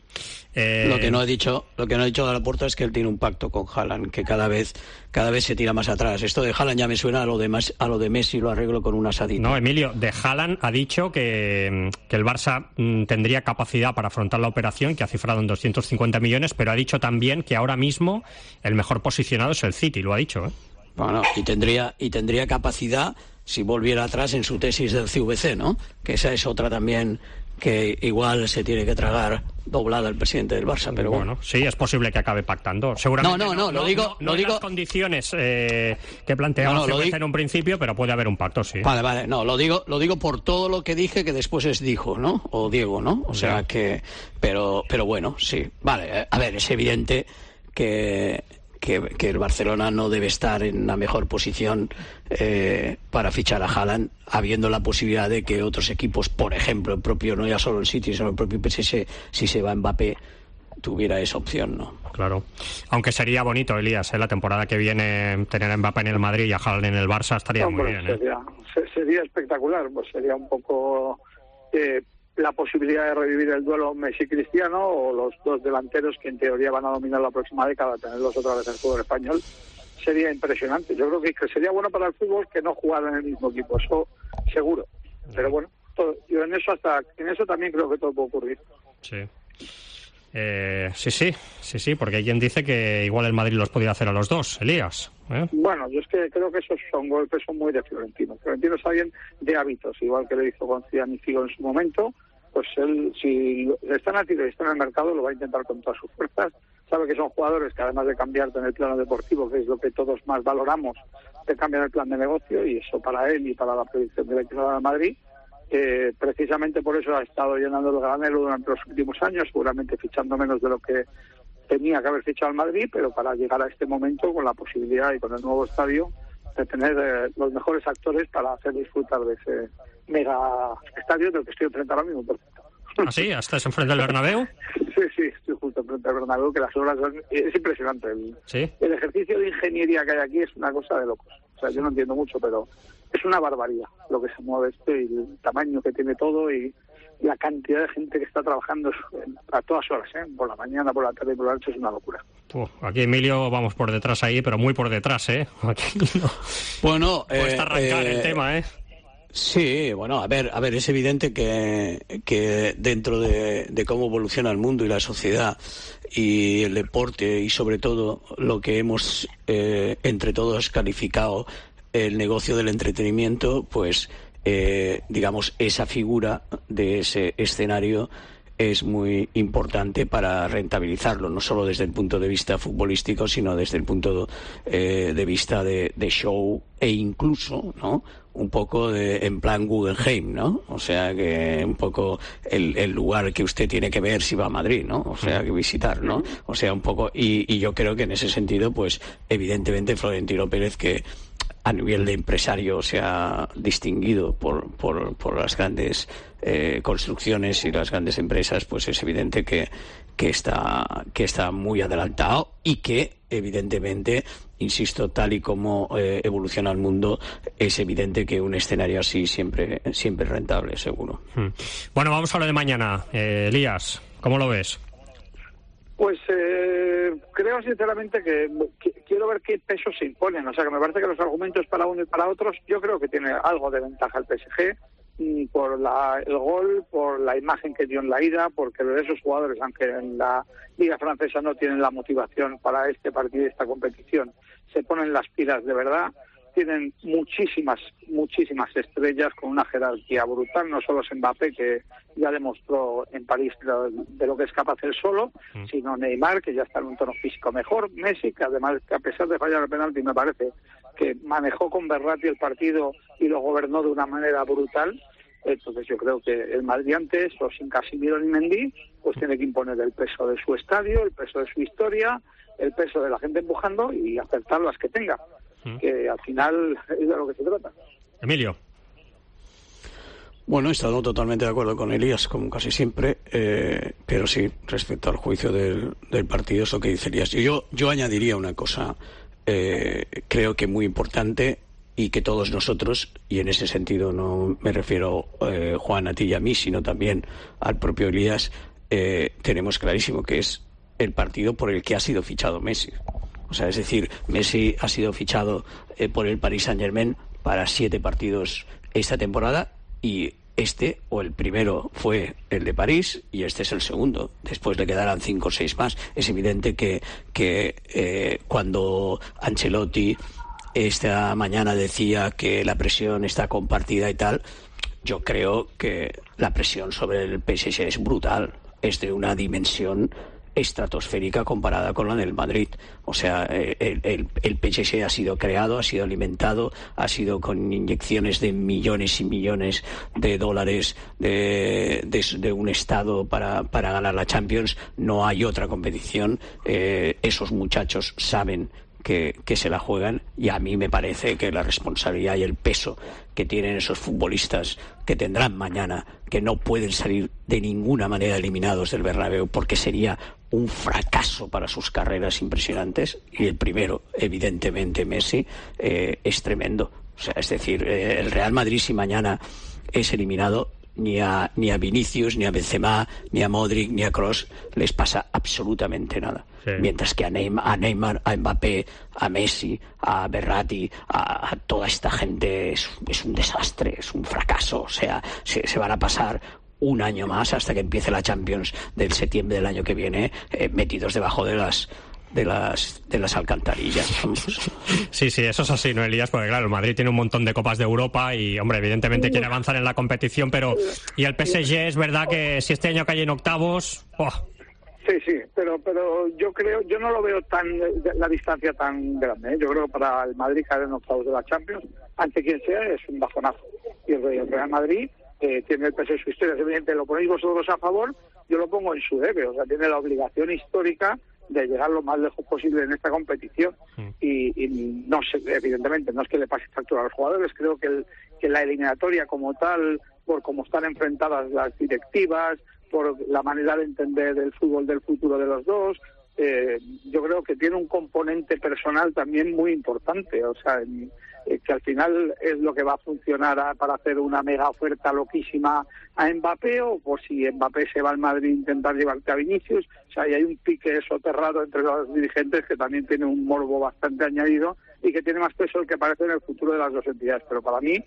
Eh... Lo que no ha dicho, lo que no ha dicho de Laporta es que él tiene un pacto con Haaland, que cada vez, cada vez se tira más atrás. Esto de Haaland ya me suena a lo de, más, a lo de Messi, lo arreglo con un asadito. No, Emilio, de Haaland ha dicho que, que el Barça mm, tendría capacidad para afrontar la operación, que ha cifrado en doscientos cincuenta millones, pero ha dicho también que ahora mismo el mejor posicionado es el City, lo ha dicho, ¿eh? Bueno, y tendría, y tendría capacidad si volviera atrás en su tesis del C V C, ¿no? Que esa es otra también que igual se tiene que tragar doblada el presidente del Barça, pero bueno. bueno. Sí, es posible que acabe pactando. Seguramente no, no, no, no, lo digo, no, no lo digo... las condiciones eh, que planteaba no, no, C V C digo... en un principio, pero puede haber un pacto, sí. Vale, vale, no, lo digo, lo digo por todo lo que dije que después es dijo, ¿no? O Diego, ¿no? O sea que, pero, pero bueno, sí. Vale, a ver, es evidente que Que, que el Barcelona no debe estar en la mejor posición eh, para fichar a Haaland, habiendo la posibilidad de que otros equipos, por ejemplo, el propio, no ya solo el City, sino el propio P S G, si se va Mbappé, tuviera esa opción, ¿no? Claro. Aunque sería bonito, Elías, ¿eh? La temporada que viene tener a Mbappé en el Madrid y a Haaland en el Barça estaría Hombre, muy bien, ¿eh? Sería, sería espectacular, pues sería un poco... Eh, la posibilidad de revivir el duelo Messi-Cristiano o los dos delanteros que en teoría van a dominar la próxima década, tenerlos otra vez en el fútbol español, sería impresionante. Yo creo que sería bueno para el fútbol que no jugaran en el mismo equipo, eso seguro. Pero bueno, todo, yo en eso hasta en eso también creo que todo puede ocurrir. Sí. Eh, sí, sí, sí, sí, porque hay quien dice que igual el Madrid los podía hacer a los dos, Elías. ¿eh? Bueno, yo es que creo que esos son golpes son muy de Florentino. Florentino es alguien de hábitos, igual que lo hizo con Zidane y Figo en su momento. Pues él, si está en activo y está en el mercado, lo va a intentar con todas sus fuerzas. Sabe que son jugadores que, además de cambiarte en el plano deportivo, que es lo que todos más valoramos, te cambian el plan de negocio, y eso para él y para la predicción de la equipo de Madrid. Eh, precisamente por eso ha estado llenando el granero durante los últimos años, seguramente fichando menos de lo que tenía que haber fichado el Madrid, pero para llegar a este momento con la posibilidad y con el nuevo estadio de tener eh, los mejores actores para hacer disfrutar de ese mega estadio del que estoy enfrente ahora mismo. ¿Ah, sí? ¿Estás enfrente del Bernabéu? Sí, sí, estoy justo enfrente del Bernabéu, que las obras son... Es impresionante. El, ¿Sí? el ejercicio de ingeniería que hay aquí es una cosa de locos. O sea, yo no entiendo mucho, pero es una barbaridad lo que se mueve esto y el tamaño que tiene todo y la cantidad de gente que está trabajando a todas horas, ¿eh? Por la mañana, por la tarde y por la noche, es una locura. Uf, aquí Emilio vamos por detrás ahí, pero muy por detrás, ¿eh? Aquí no. Bueno, cuesta eh, arrancar eh, el tema, ¿eh? Sí, bueno, a ver, a ver, es evidente que, que dentro de, de cómo evoluciona el mundo y la sociedad y el deporte y sobre todo lo que hemos eh, entre todos calificado el negocio del entretenimiento, pues eh, digamos esa figura de ese escenario es muy importante para rentabilizarlo, no solo desde el punto de vista futbolístico, sino desde el punto eh, de vista de, de show e incluso, ¿no?, un poco de, en plan Guggenheim, ¿no? O sea, que un poco el, el lugar que usted tiene que ver si va a Madrid, ¿no? O sea, que visitar, ¿no? O sea, un poco, y, y yo creo que en ese sentido, pues, evidentemente Florentino Pérez, que a nivel de empresario se ha distinguido por, por, por las grandes eh, construcciones y las grandes empresas, pues es evidente que, que, está, que está muy adelantado y que, evidentemente, insisto, tal y como eh, evoluciona el mundo, es evidente que un escenario así siempre, siempre es rentable, seguro. Hmm. Bueno, vamos a lo de mañana. Eh, Elías, ¿cómo lo ves? Pues eh, creo sinceramente que, que quiero ver qué pesos se imponen. O sea, que me parece que los argumentos para uno y para otros, yo creo que tiene algo de ventaja el P S G, por la, el gol, por la imagen que dio en la ida, porque esos jugadores, aunque en la Liga Francesa no tienen la motivación para este partido y esta competición, se ponen las pilas de verdad. Tienen muchísimas, muchísimas estrellas con una jerarquía brutal, no solo es Mbappé, que ya demostró en París de lo que es capaz él solo, mm. sino Neymar, que ya está en un tono físico mejor, Messi, que además, que a pesar de fallar el penalti, me parece que manejó con Verratti el partido y lo gobernó de una manera brutal. Entonces yo creo que el Madrid antes, o sin Casemiro ni Mendy, pues tiene que imponer el peso de su estadio, el peso de su historia, el peso de la gente empujando y acertar las que tenga, mm. que al final es de lo que se trata. Emilio. Bueno, he estado totalmente de acuerdo con Elías, como casi siempre, eh, pero sí, respecto al juicio del, del partido, es lo que dice Elías. Yo, yo añadiría una cosa, eh, creo que muy importante, y que todos nosotros, y en ese sentido no me refiero, eh, Juan, a ti y a mí, sino también al propio Elías, eh, tenemos clarísimo que es el partido por el que ha sido fichado Messi. O sea, es decir, Messi ha sido fichado eh, por el Paris Saint-Germain para siete partidos esta temporada, y este, o el primero, fue el de París, y este es el segundo. Después le quedarán cinco o seis más. Es evidente que, que eh, cuando Ancelotti esta mañana decía que la presión está compartida y tal, yo creo que la presión sobre el P S G es brutal, es de una dimensión estratosférica comparada con la del Madrid. O sea, el, el, el P S G ha sido creado, ha sido alimentado, ha sido con inyecciones de millones y millones de dólares de, de, de un Estado para, para ganar la Champions. No hay otra competición. Eh, esos muchachos saben Que, que se la juegan, y a mí me parece que la responsabilidad y el peso que tienen esos futbolistas que tendrán mañana, que no pueden salir de ninguna manera eliminados del Bernabéu, porque sería un fracaso para sus carreras impresionantes, y el primero, evidentemente Messi, eh, es tremendo. O sea, es decir, eh, el Real Madrid, si mañana es eliminado, ni a, ni a Vinicius, ni a Benzema, ni a Modric, ni a Kroos les pasa absolutamente nada. Sí. Mientras que a Neymar, a Neymar, a Mbappé, a Messi, a Verratti, a, a toda esta gente es, es un desastre, es un fracaso. O sea, se, se van a pasar un año más hasta que empiece la Champions del septiembre del año que viene, eh, metidos debajo de las de las de las alcantarillas. Sí, sí, eso es así, ¿no, Elías? Porque claro, el Madrid tiene un montón de Copas de Europa y, hombre, evidentemente quiere avanzar en la competición, pero y el P S G es verdad que si este año cae en octavos... ¡Oh! Sí, sí, pero pero yo creo, yo no lo veo tan la distancia tan grande, ¿eh? Yo creo que para el Madrid caer en octavos de la Champions, ante quien sea, es un bajonazo. Y el Real Madrid eh, tiene el peso de su historia. Es evidente, lo ponéis vosotros a favor, yo lo pongo en su debe. O sea, tiene la obligación histórica de llegar lo más lejos posible en esta competición. Mm. Y, y no sé, evidentemente, no es que le pase factura a los jugadores, creo que, el, que la eliminatoria como tal, por cómo están enfrentadas las directivas, por la manera de entender el fútbol del futuro de los dos, eh, yo creo que tiene un componente personal también muy importante. O sea, en, eh, que al final es lo que va a funcionar a, para hacer una mega oferta loquísima a Mbappé, o por si Mbappé se va al Madrid intentar llevarte a Vinicius. O sea, y hay un pique soterrado entre los dirigentes que también tiene un morbo bastante añadido y que tiene más peso el que parece en el futuro de las dos entidades. Pero para mí,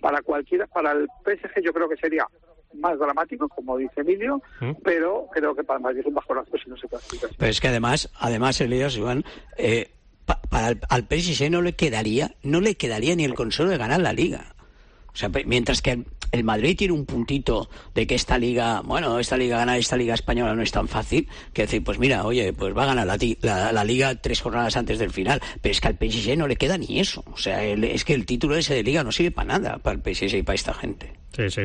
para cualquiera, para el P S G yo creo que sería más dramático, como dice Emilio, ¿Mm? pero creo que para el Madrid es un bajonazo si no se clasifica. Pero es que además, además Elías, Joan, eh, pa, para el, al P S G no le quedaría, no le quedaría ni el consuelo de ganar la Liga. O sea, mientras que el Madrid tiene un puntito de que esta liga, bueno, esta liga ganar esta liga española no es tan fácil, que decir, pues mira, oye, pues va a ganar la, la, la liga tres jornadas antes del final, pero es que al P S G no le queda ni eso. O sea, el, es que el título ese de liga no sirve para nada, para el P S G y para esta gente. Sí, sí.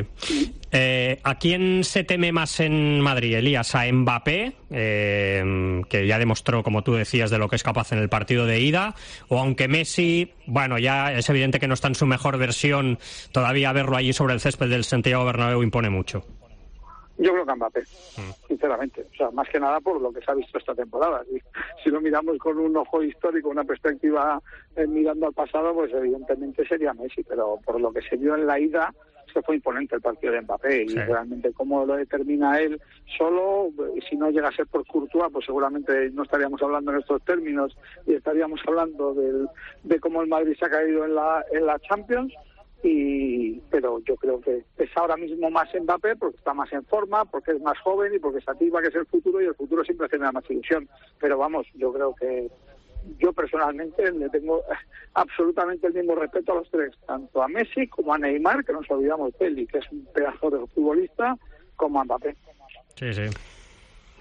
Eh, ¿A quién se teme más en Madrid, Elías? ¿A Mbappé, eh, que ya demostró, como tú decías, de lo que es capaz en el partido de ida? ¿O aunque Messi, bueno, ya es evidente que no está en su mejor versión, todavía verlo allí sobre el césped del Santiago Bernabéu impone mucho? Yo creo que Mbappé, sinceramente. O sea, más que nada por lo que se ha visto esta temporada. Si, si lo miramos con un ojo histórico, una perspectiva eh, mirando al pasado, pues evidentemente sería Messi. Pero por lo que se vio en la ida, es que fue imponente el partido de Mbappé. Sí. Y realmente cómo lo determina él solo, y si no llega a ser por Courtois, pues seguramente no estaríamos hablando en estos términos y estaríamos hablando del, de cómo el Madrid se ha caído en la, en la Champions. Y pero yo creo que es ahora mismo más Mbappé porque está más en forma, porque es más joven y porque se activa que es el futuro, y el futuro siempre genera más ilusión. Pero vamos, yo creo que yo personalmente le tengo absolutamente el mismo respeto a los tres, tanto a Messi como a Neymar, que no nos olvidamos de él, que es un pedazo de futbolista, como a Mbappé. Sí, sí.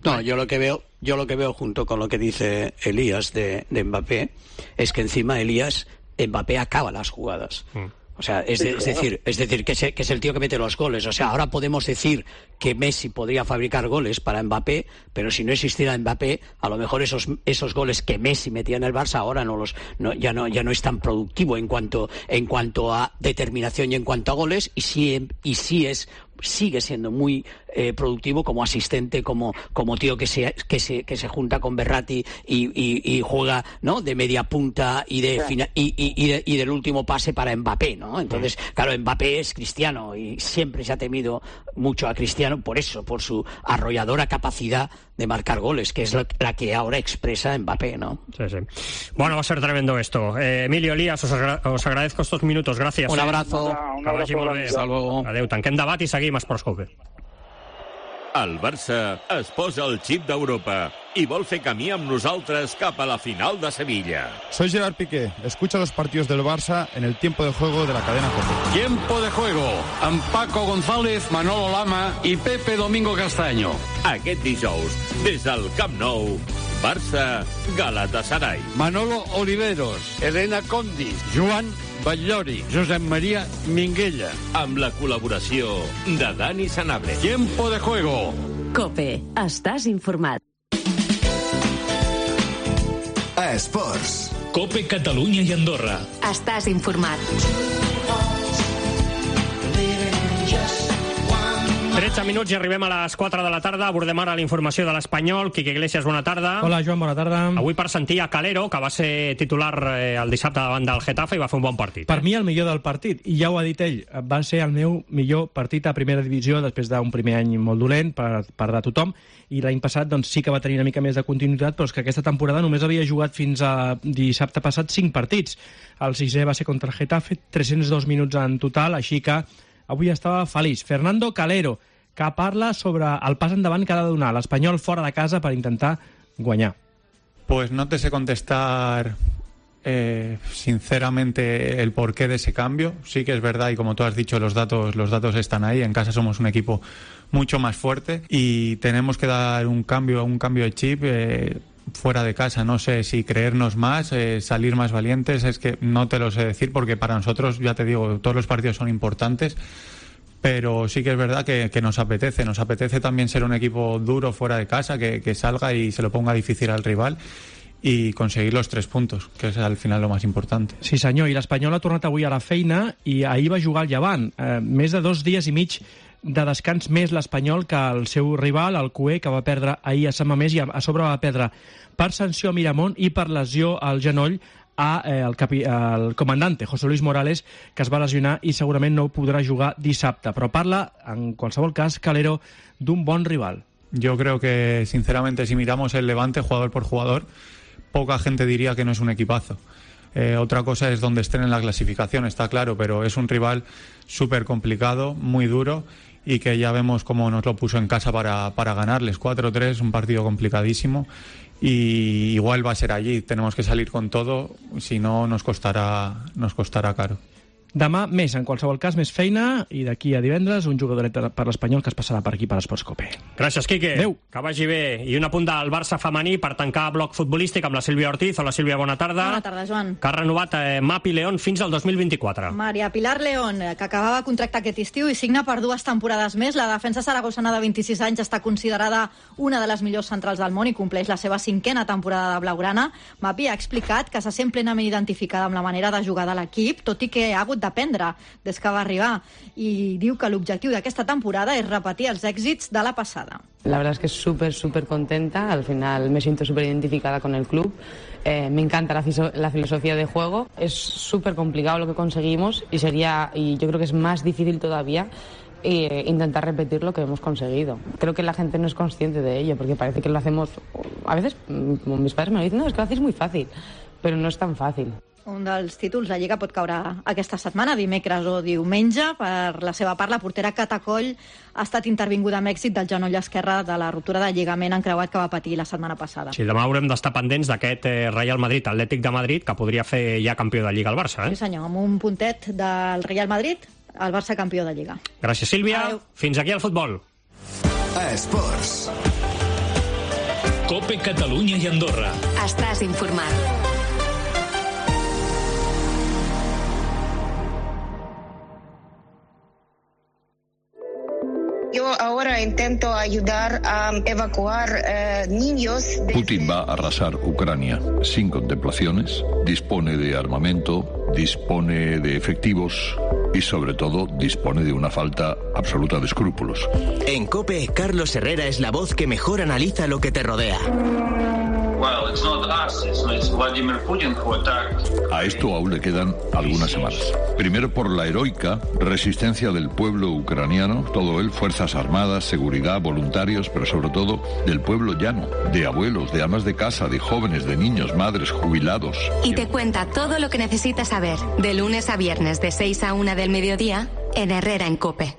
No, yo lo que veo, yo lo que veo junto con lo que dice Elías de, de Mbappé, es que encima Elías, Mbappé acaba las jugadas. Mm. O sea, es, de, es decir, es decir que, es, que es el tío que mete los goles. O sea, ahora podemos decir que Messi podría fabricar goles para Mbappé, pero si no existiera Mbappé, a lo mejor esos esos goles que Messi metía en el Barça ahora no los no, ya no ya no es tan productivo en cuanto en cuanto a determinación y en cuanto a goles, y sí y sí es sigue siendo muy eh, productivo como asistente, como como tío que se que se que se junta con Berratti y, y, y juega, ¿no?, de media punta y de, fina, y, y, y, de y del último pase para Mbappé, ¿no? Entonces, claro, Mbappé es Cristiano y siempre se ha temido mucho a Cristiano por eso, por su arrolladora capacidad de marcar goles, que es la, la que ahora expresa Mbappé, ¿no? Sí, sí. Bueno, va a ser tremendo esto. Eh, Emilio, Elías, os, agra os agradezco estos minutos. Gràcies. Un abrazo. Un abrazo. Hasta luego. Adéu. Tanquem debat i seguim a Esports Cope. El Barça es posa el xip d'Europa i vol fer camí amb nosaltres cap a la final de Sevilla. Soy Gerard Piqué. Escucha los partidos del Barça en el tiempo de juego de la cadena COPE. Tiempo de juego amb Paco González, Manolo Lama i Pepe Domingo Castaño. Aquest dijous, des del Camp Nou, Barça Galatasaray. Manolo Oliveros, Elena Condis, Joan Batllori, Josep María Minguella. Amb la col·laboració de Dani Sanabria. Tiempo de juego. COPE. Estàs informat. A Esports. COPE Catalunya i Andorra. Estàs informat. tretze minuts i arribem a les quatre de la tarda. Abordem ara la informació de l'Espanyol. Quique Iglesias, bona tarda. Hola, Joan, bona tarda. Avui per sentir a Calero, que va ser titular eh, el dissabte davant del Getafe i va fer un bon partit. Per mi el millor del partit, i ja ho ha dit ell, va ser el meu millor partit a primera divisió després d'un primer any molt dolent per, per de tothom, i l'any passat doncs, sí que va tenir una mica més de continuïtat, però és que aquesta temporada només havia jugat fins a dissabte passat cinc partits. El sisè va ser contra el Getafe, tres-cents dos minuts en total, així que avui estava feliç. Fernando Calero, que parla sobre el pas endavant que ha de donar l'Espanyol fora de casa per intentar guanyar. Pues no te sé contestar eh, sinceramente el porqué de ese cambio. Sí que es verdad, y como tú has dicho, los datos, los datos están ahí. En casa somos un equipo mucho más fuerte y tenemos que dar un cambio, un cambio de chip eh, fuera de casa. No sé si creernos más, eh, salir más valientes, es que no te lo sé decir, porque para nosotros, ya te digo, todos los partidos son importantes. Pero sí que es verdad que, que nos apetece, nos apetece también ser un equipo duro fuera de casa, que, que salga y se lo ponga difícil al rival i conseguir los tres puntos, que és al final lo más importante. Sí senyor, i l'Espanyol ha tornat avui a la feina i ahir va jugar al Llevant. Eh, més de dos dies i mig de descans més l'Espanyol que el seu rival, el Cué, que va perdre ahir a Sant Mamés, i a sobre va perdre per sanció a Miramont i per lesió al genoll a eh, el, capi, el comandante José Luis Morales, que es va lesionar i segurament no podrà jugar dissabte. Però parla, en qualsevol cas, Calero, d'un bon rival. Yo creo que, sinceramente, si miramos el Levante jugador por jugador, poca gente diría que no es un equipazo. Eh, otra cosa es donde estén en la clasificación, está claro, pero es un rival súper complicado, muy duro, y que ya vemos cómo nos lo puso en casa para, para ganarles. cuatro tres, un partido complicadísimo. Y igual va a ser allí, tenemos que salir con todo, si no nos costará, nos costará caro. Demà més, en qualsevol cas, més feina, i d'aquí a divendres un jugadoret per l'Espanyol que es passarà per aquí per Esports Cope. Gràcies, Quique. Adéu. Que vagi bé. I un apunt del Barça femení per tancar bloc futbolístic amb la Sílvia Ortiz. Hola, Sílvia, bona tarda. Bona tarda, Joan. Que ha renovat eh, Mapi León fins al dos mil vint-i-quatre. Maria Pilar León, que acabava contracte aquest estiu i signa per dues temporades més. La defensa saragossana de vint-i-sis anys està considerada una de les millors centrals del món i compleix la seva cinquena temporada de blaugrana. Mapi ha explicat que se sent plenament identificada amb la manera de jugar de l'equip, tot i que ha hagut d'aprendre des que va arribar, y diu que l'objectiu d'aquesta temporada és repetir els èxits de la passada. La verdad es que es súper, súper contenta. Al final me siento súper identificada con el club. Eh, me encanta la, la filosofía de juego. Es súper complicado lo que conseguimos y sería, y yo creo que es más difícil todavía, e intentar repetir lo que hemos conseguido. Creo que la gente no es consciente de ello, porque parece que lo hacemos... A veces, como mis padres me lo dicen, no, es que lo hacéis muy fácil, pero no es tan fácil. Un dels títols, la Lliga pot caure aquesta setmana, dimecres o diumenge. Per la seva part, la portera Catacoll ha estat intervinguda amb èxit del genoll esquerre de la ruptura de lligament encreuat que va patir la setmana passada. Sí, demà haurem d'estar pendents d'aquest eh, Real Madrid, Atlètic de Madrid, que podria fer ja campió de Lliga al Barça. Eh? Sí, senyor, amb un puntet del Real Madrid, el Barça campió de Lliga. Gràcies, Sílvia. Adeu. Fins aquí el futbol. Esports. Cope Catalunya i Andorra. Estàs informat. Yo ahora intento ayudar a evacuar eh, niños. De... Putin va a arrasar Ucrania sin contemplaciones, dispone de armamento, dispone de efectivos y sobre todo dispone de una falta absoluta de escrúpulos. En COPE, Carlos Herrera es la voz que mejor analiza lo que te rodea. Well, it's not us, it's, it's Vladimir Putin who attacked. A esto aún le quedan algunas semanas. Primero por la heroica resistencia del pueblo ucraniano, todo él, fuerzas armadas, seguridad, voluntarios, pero sobre todo del pueblo llano, de abuelos, de amas de casa, de jóvenes, de niños, madres, jubilados. Y te cuenta todo lo que necesitas saber, de lunes a viernes de seis a una del mediodía, en Herrera en COPE.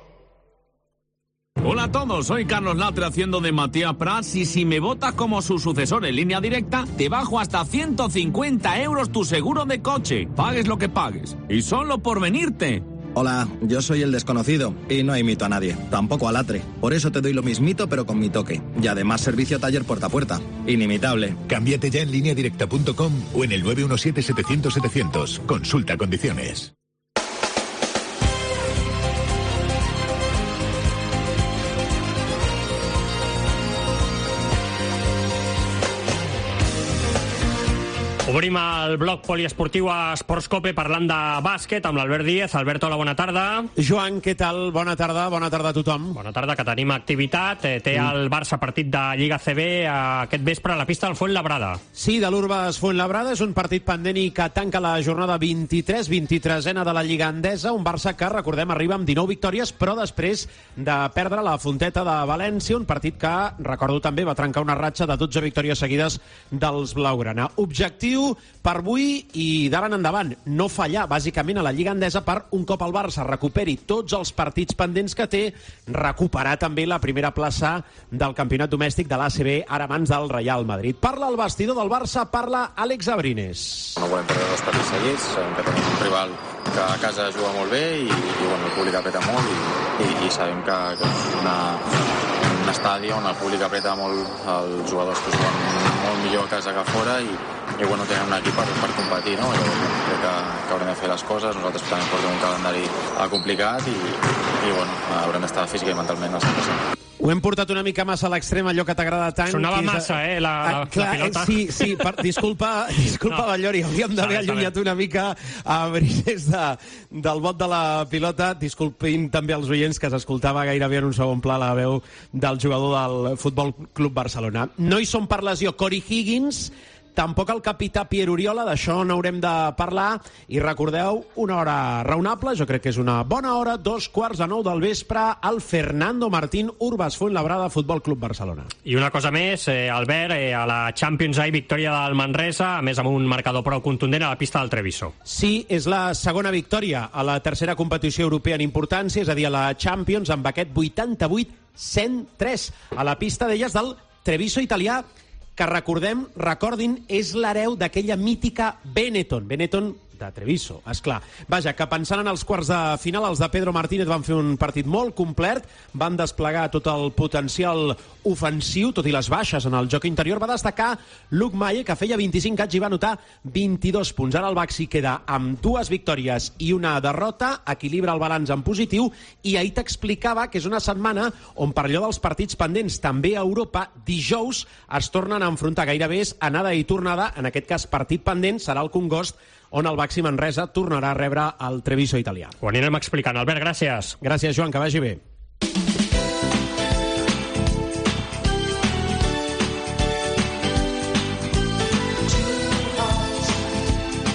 Hola a todos, soy Carlos Latre haciendo de Matías Prats y si me votas como su sucesor en línea directa, te bajo hasta ciento cincuenta euros tu seguro de coche. Pagues lo que pagues. Y solo por venirte. Hola, yo soy el desconocido y no imito a nadie, tampoco a Latre. Por eso te doy lo mismito pero con mi toque. Y además servicio taller puerta a puerta. Inimitable. Cámbiate ya en línea directa punto com o en el nueve uno siete setecientos setecientos. Consulta condiciones. Obrim el bloc poliesportiu a Esports Cope parlant de bàsquet amb l'Albert Díez. Albert, hola, bona tarda. Joan, què tal? Bona tarda, bona tarda a tothom. Bona tarda, que tenim activitat. Té el Barça partit de Lliga C B aquest vespre a la pista del Fuenlabrada. Sí, de l'Urbas Fuenlabrada. És un partit pendent i que tanca la jornada vint-i-tres, vint-i-tresena de la Lliga Endesa. Un Barça que, recordem, arriba amb dinou victòries, però després de perdre la Fonteta de València, un partit que, recordo també, va trencar una ratxa de dotze victòries seguides dels blaugrana. Objectiu per avui i d'ara en endavant, no fallar bàsicament a la Lliga Endesa per un cop el Barça recuperi tots els partits pendents que té, recuperar també la primera plaça del campionat domèstic de l'A C B, ara a mans del Real Madrid. Parla el vestidor del Barça, parla Àlex Abrines. No volem perdre dos partits seguits, sabem que tenim un rival que a casa juga molt bé i, i bueno, el públic apreta molt i, i, i sabem que, que és una, un estadi on el públic apreta molt, els jugadors que juguen molt millor a casa que a fora i, i bueno, tenen un equip per, per competir, no? Jo crec que, que haurem de fer les coses, nosaltres també portem un calendari complicat i, i bueno, haurem d'estar física i mentalment al cent per cent. Ho hem portat una mica massa a l'extrem, allò que t'agrada tant. Sonava massa, eh, la, la, clar, la pilota. Sí, sí, per, disculpa, disculpa, no. Ballori, hauríem d'haver allunyat una mica a Brines de, del bot de la pilota. Disculpin també els oients que s'escoltava gairebé en un segon pla la veu del jugador del Futbol Club Barcelona. No hi són per lesió Corey Higgins, tampoc el capità Pierre Oriola, d'això n'haurem de parlar, i recordeu, una hora raonable, jo crec que és una bona hora, dos quarts de nou del vespre, al Fernando Martín, Urbas Fuenlabrada, Futbol Club Barcelona. I una cosa més, eh, Albert, eh, a la Champions League, victòria del Manresa, a més amb un marcador prou contundent a la pista del Treviso. Sí, és la segona victòria a la tercera competició europea en importància, és a dir, a la Champions, amb aquest vuitanta-vuit cent tres, a la pista d'elles del Treviso italià, que recordem, recordin, és l'hereu d'aquella mítica Benetton. Benetton, de Treviso, esclar. Vaja, que pensant en els quarts de final, els de Pedro Martínez van fer un partit molt complet, van desplegar tot el potencial ofensiu, tot i les baixes en el joc interior. Va destacar Luc Maye, que feia vint-i-cinc anys i va anotar vint-i-dos punts. Ara el Baxi queda amb dues victòries i una derrota, equilibra el balanç en positiu, i ahir t'explicava que és una setmana on per allò dels partits pendents també a Europa, dijous es tornen a enfrontar, gairebé és anada i tornada, en aquest cas partit pendent serà el Congost, on el Baxi Manresa tornarà a rebre el Treviso italià. Ho anirem explicant. Albert, gràcies. Gràcies, Joan, que vagi bé.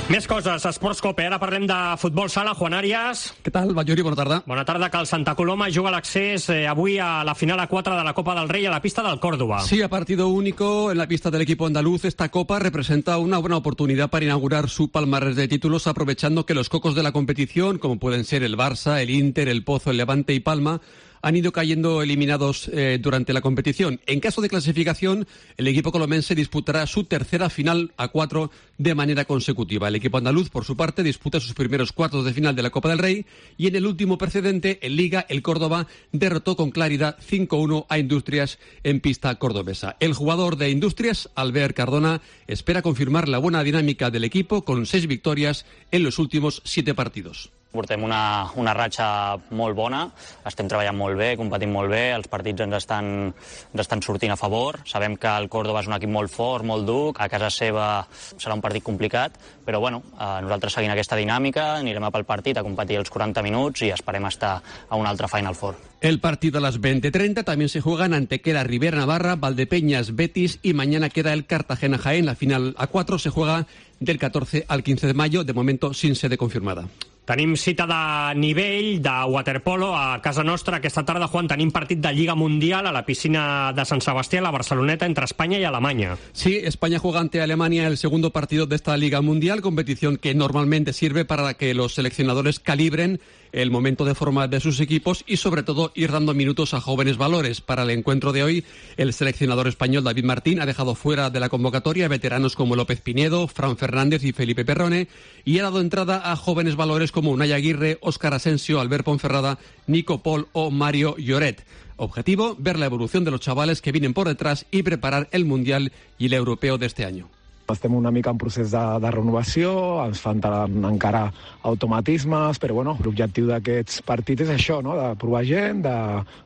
Més coses, Esports Cope. Ara parlem de futbol sala. Juan Arias. ¿Qué tal, Bayori? Buena tarde. Bona tarda, que el Santa Coloma juga l'accés eh, avui a la final a quatre de la Copa del Rey a la pista del Córdoba. Sí, a partido único en la pista del equipo andaluz. Esta Copa representa una buena oportunidad para inaugurar su palmarés de títulos, aprovechando que los cocos de la competición, como pueden ser el Barça, el Inter, el Pozo, el Levante y Palma, han ido cayendo eliminados eh, durante la competición. En caso de clasificación, el equipo colomense disputará su tercera final a cuatro de manera consecutiva. El equipo andaluz, por su parte, disputa sus primeros cuartos de final de la Copa del Rey y en el último precedente, en Liga, el Córdoba derrotó con claridad cinco uno a Industrias en pista cordobesa. El jugador de Industrias, Albert Cardona, espera confirmar la buena dinámica del equipo con seis victorias en los últimos siete partidos. Portem una, una ratxa molt bona, estem treballant molt bé, competint molt bé, els partits ens estan, ens estan sortint a favor. Sabem que el Córdoba és un equip molt fort, molt dur, a casa seva serà un partit complicat, però bueno, eh, nosaltres seguint aquesta dinàmica, anirem a pel partit a competir els quaranta minuts i esperem estar a un altre Final Four. El partido a las veinte treinta también se juega en Antequera, Rivera Navarra, Valdepeñas, Betis y mañana queda el Cartagena Jaén. La final a cuatro se juega del catorce al quince de mayo, de momento sin sede confirmada. Tenim cita de nivell de waterpolo a casa nostra. Aquesta tarda, Juan, tenim partit de Lliga Mundial a la piscina de Sant Sebastià, a la Barceloneta, entre España y Alemania. Sí, España juega ante Alemania el segundo partido de esta Liga Mundial, competición que normalmente sirve para que los seleccionadores calibren el momento de forma de sus equipos y sobre todo ir dando minutos a jóvenes valores. Para el encuentro de hoy, el seleccionador español David Martín ha dejado fuera de la convocatoria veteranos como López Pinedo, Fran Fernández y Felipe Perrone y ha dado entrada a jóvenes valores como Unai Aguirre, Óscar Asensio, Albert Ponferrada, Nico Pol o Mario Lloret. Objetivo, ver la evolución de los chavales que vienen por detrás y preparar el Mundial y el Europeo de este año. Estem una mica en procés de, de renovació, ens fan encara automatismes, però bueno, l'objectiu d'aquests partits és això, no? De provar gent, de,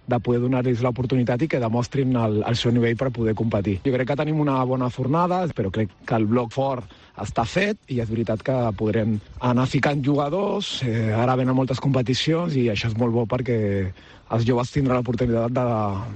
de poder donar-los l'oportunitat i que demostrin el, el seu nivell per poder competir. Jo crec que tenim una bona fornada, però crec que el bloc fort està fet i és veritat que podrem anar ficant jugadors, eh, ara venen moltes competicions i això és molt bo perquè els joves tindran l'oportunitat de,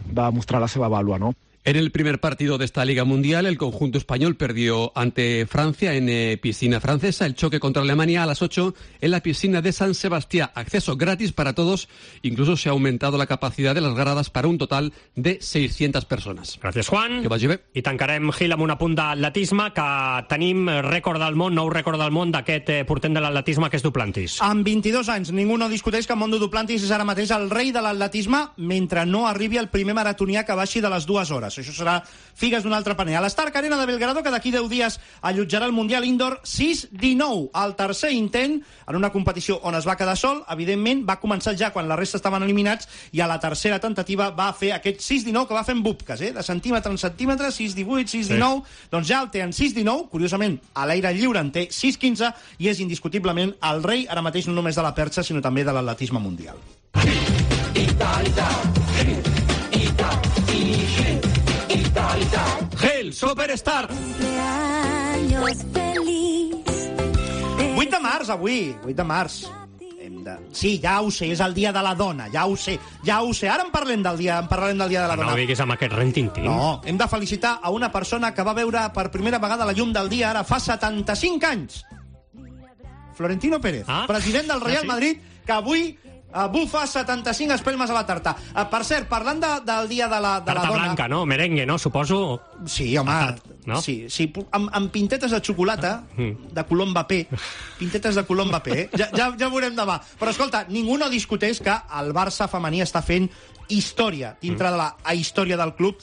de demostrar la seva vàlua, no? En el primer partido de esta Liga Mundial, el conjunto español perdió ante Francia en eh, piscina francesa. El choque contra Alemania a las ocho en la piscina de San Sebastián. Acceso gratis para todos. Incluso se ha aumentado la capacidad de las gradas para un total de seiscientas personas. Gràcies, Juan. Que vagi bé. I tancarem, Gil, amb un apunt d'atletisme, que tenim rècord del món, nou rècord del món d'aquest eh, portent de l'atletisme, que és Duplantis. Amb vint-i-dos anys, ningú no discuteix que Mondo Duplantis és ara mateix el rei de l'atletisme mentre no arribi el primer maratonià que baixi de les dues hores. Això serà figues d'un altre paner. A l'Stark Arena de Belgrado, que d'aquí deu dies allotjarà el Mundial Indoor sis dinou, el tercer intent en una competició on es va quedar sol. Evidentment, va començar ja quan la resta estaven eliminats i a la tercera tentativa va fer aquest sis dinou que va fer en bupques, eh? De centímetre en centímetre, sis divuit, sis dinou, sí. Doncs ja el té en sis dinou, curiosament, a l'aire lliure en té sis quinze i és indiscutiblement el rei, ara mateix no només de la perxa, sinó també de l'atletisme mundial. Gel, Superstar. vuit de març, avui, vuit de març. Hem de... Sí, ja ho sé, és el dia de la dona, ja ho sé, ja ho sé. Ara en parlem del dia, en parlarem del dia de la no dona. No diguis amb aquest rentintín. No, hem de felicitar a una persona que va veure per primera vegada la llum del dia ara fa setanta-cinc anys. Florentino Pérez, ah? president del Real ah, sí? Madrid, que avui Uh, bufa setanta-cinc espelmes a la tarta. Uh, per cert, parlant de, del dia de la, de tarta la dona... blanca, no? Merengue, no? Suposo... Sí, home, no? sí, sí, amb, amb pintetes de xocolata de color Mbappé, pintetes de color Mbappé, eh? ja, ja, ja veurem demà. Però escolta, ningú no discuteix que el Barça femení està fent història dintre de la història del club,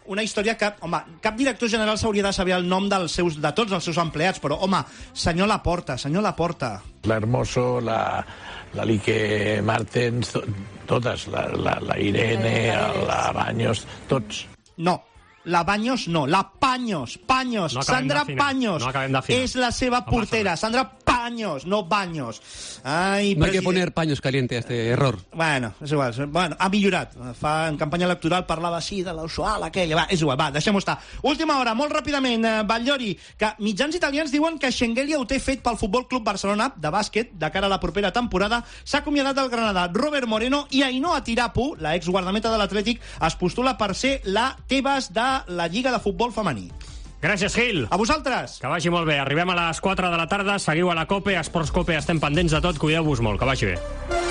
una història que, home, cap director general s'hauria de saber el nom dels seus, de tots els seus empleats, però, home, senyor Laporta, senyor Laporta. La Hermoso, la, la Lique Martens, to, totes, la, la, la Irene, la Baños, tots. No, la Baños no, la Paños, Paños, no Sandra Paños, no és la seva no portera, Sandra Paños, no Baños. Ai, no hay que poner paños calientes a este error. Bueno, és igual, bueno, ha millorat. Fa, en campanya electoral parlava així de l'usual aquella, va, és igual, va, deixem-ho estar. Última hora, molt ràpidament, eh, Batllori, que mitjans italians diuen que Schengelia ho té fet pel Futbol Club Barcelona, de bàsquet, de cara a la propera temporada, s'ha acomiadat del Granada Robert Moreno i Ainhoa Tirapu, la exguardameta de l'Atlètic, es postula per ser la Tebas de la Lliga de Futbol Femení. Gràcies, Gil. A vosaltres. Que vagi molt bé. Arribem a les quatre de la tarda. Seguiu a la COPE, a Esports COPE. Estem pendents de tot. Cuideu-vos molt. Que vagi bé.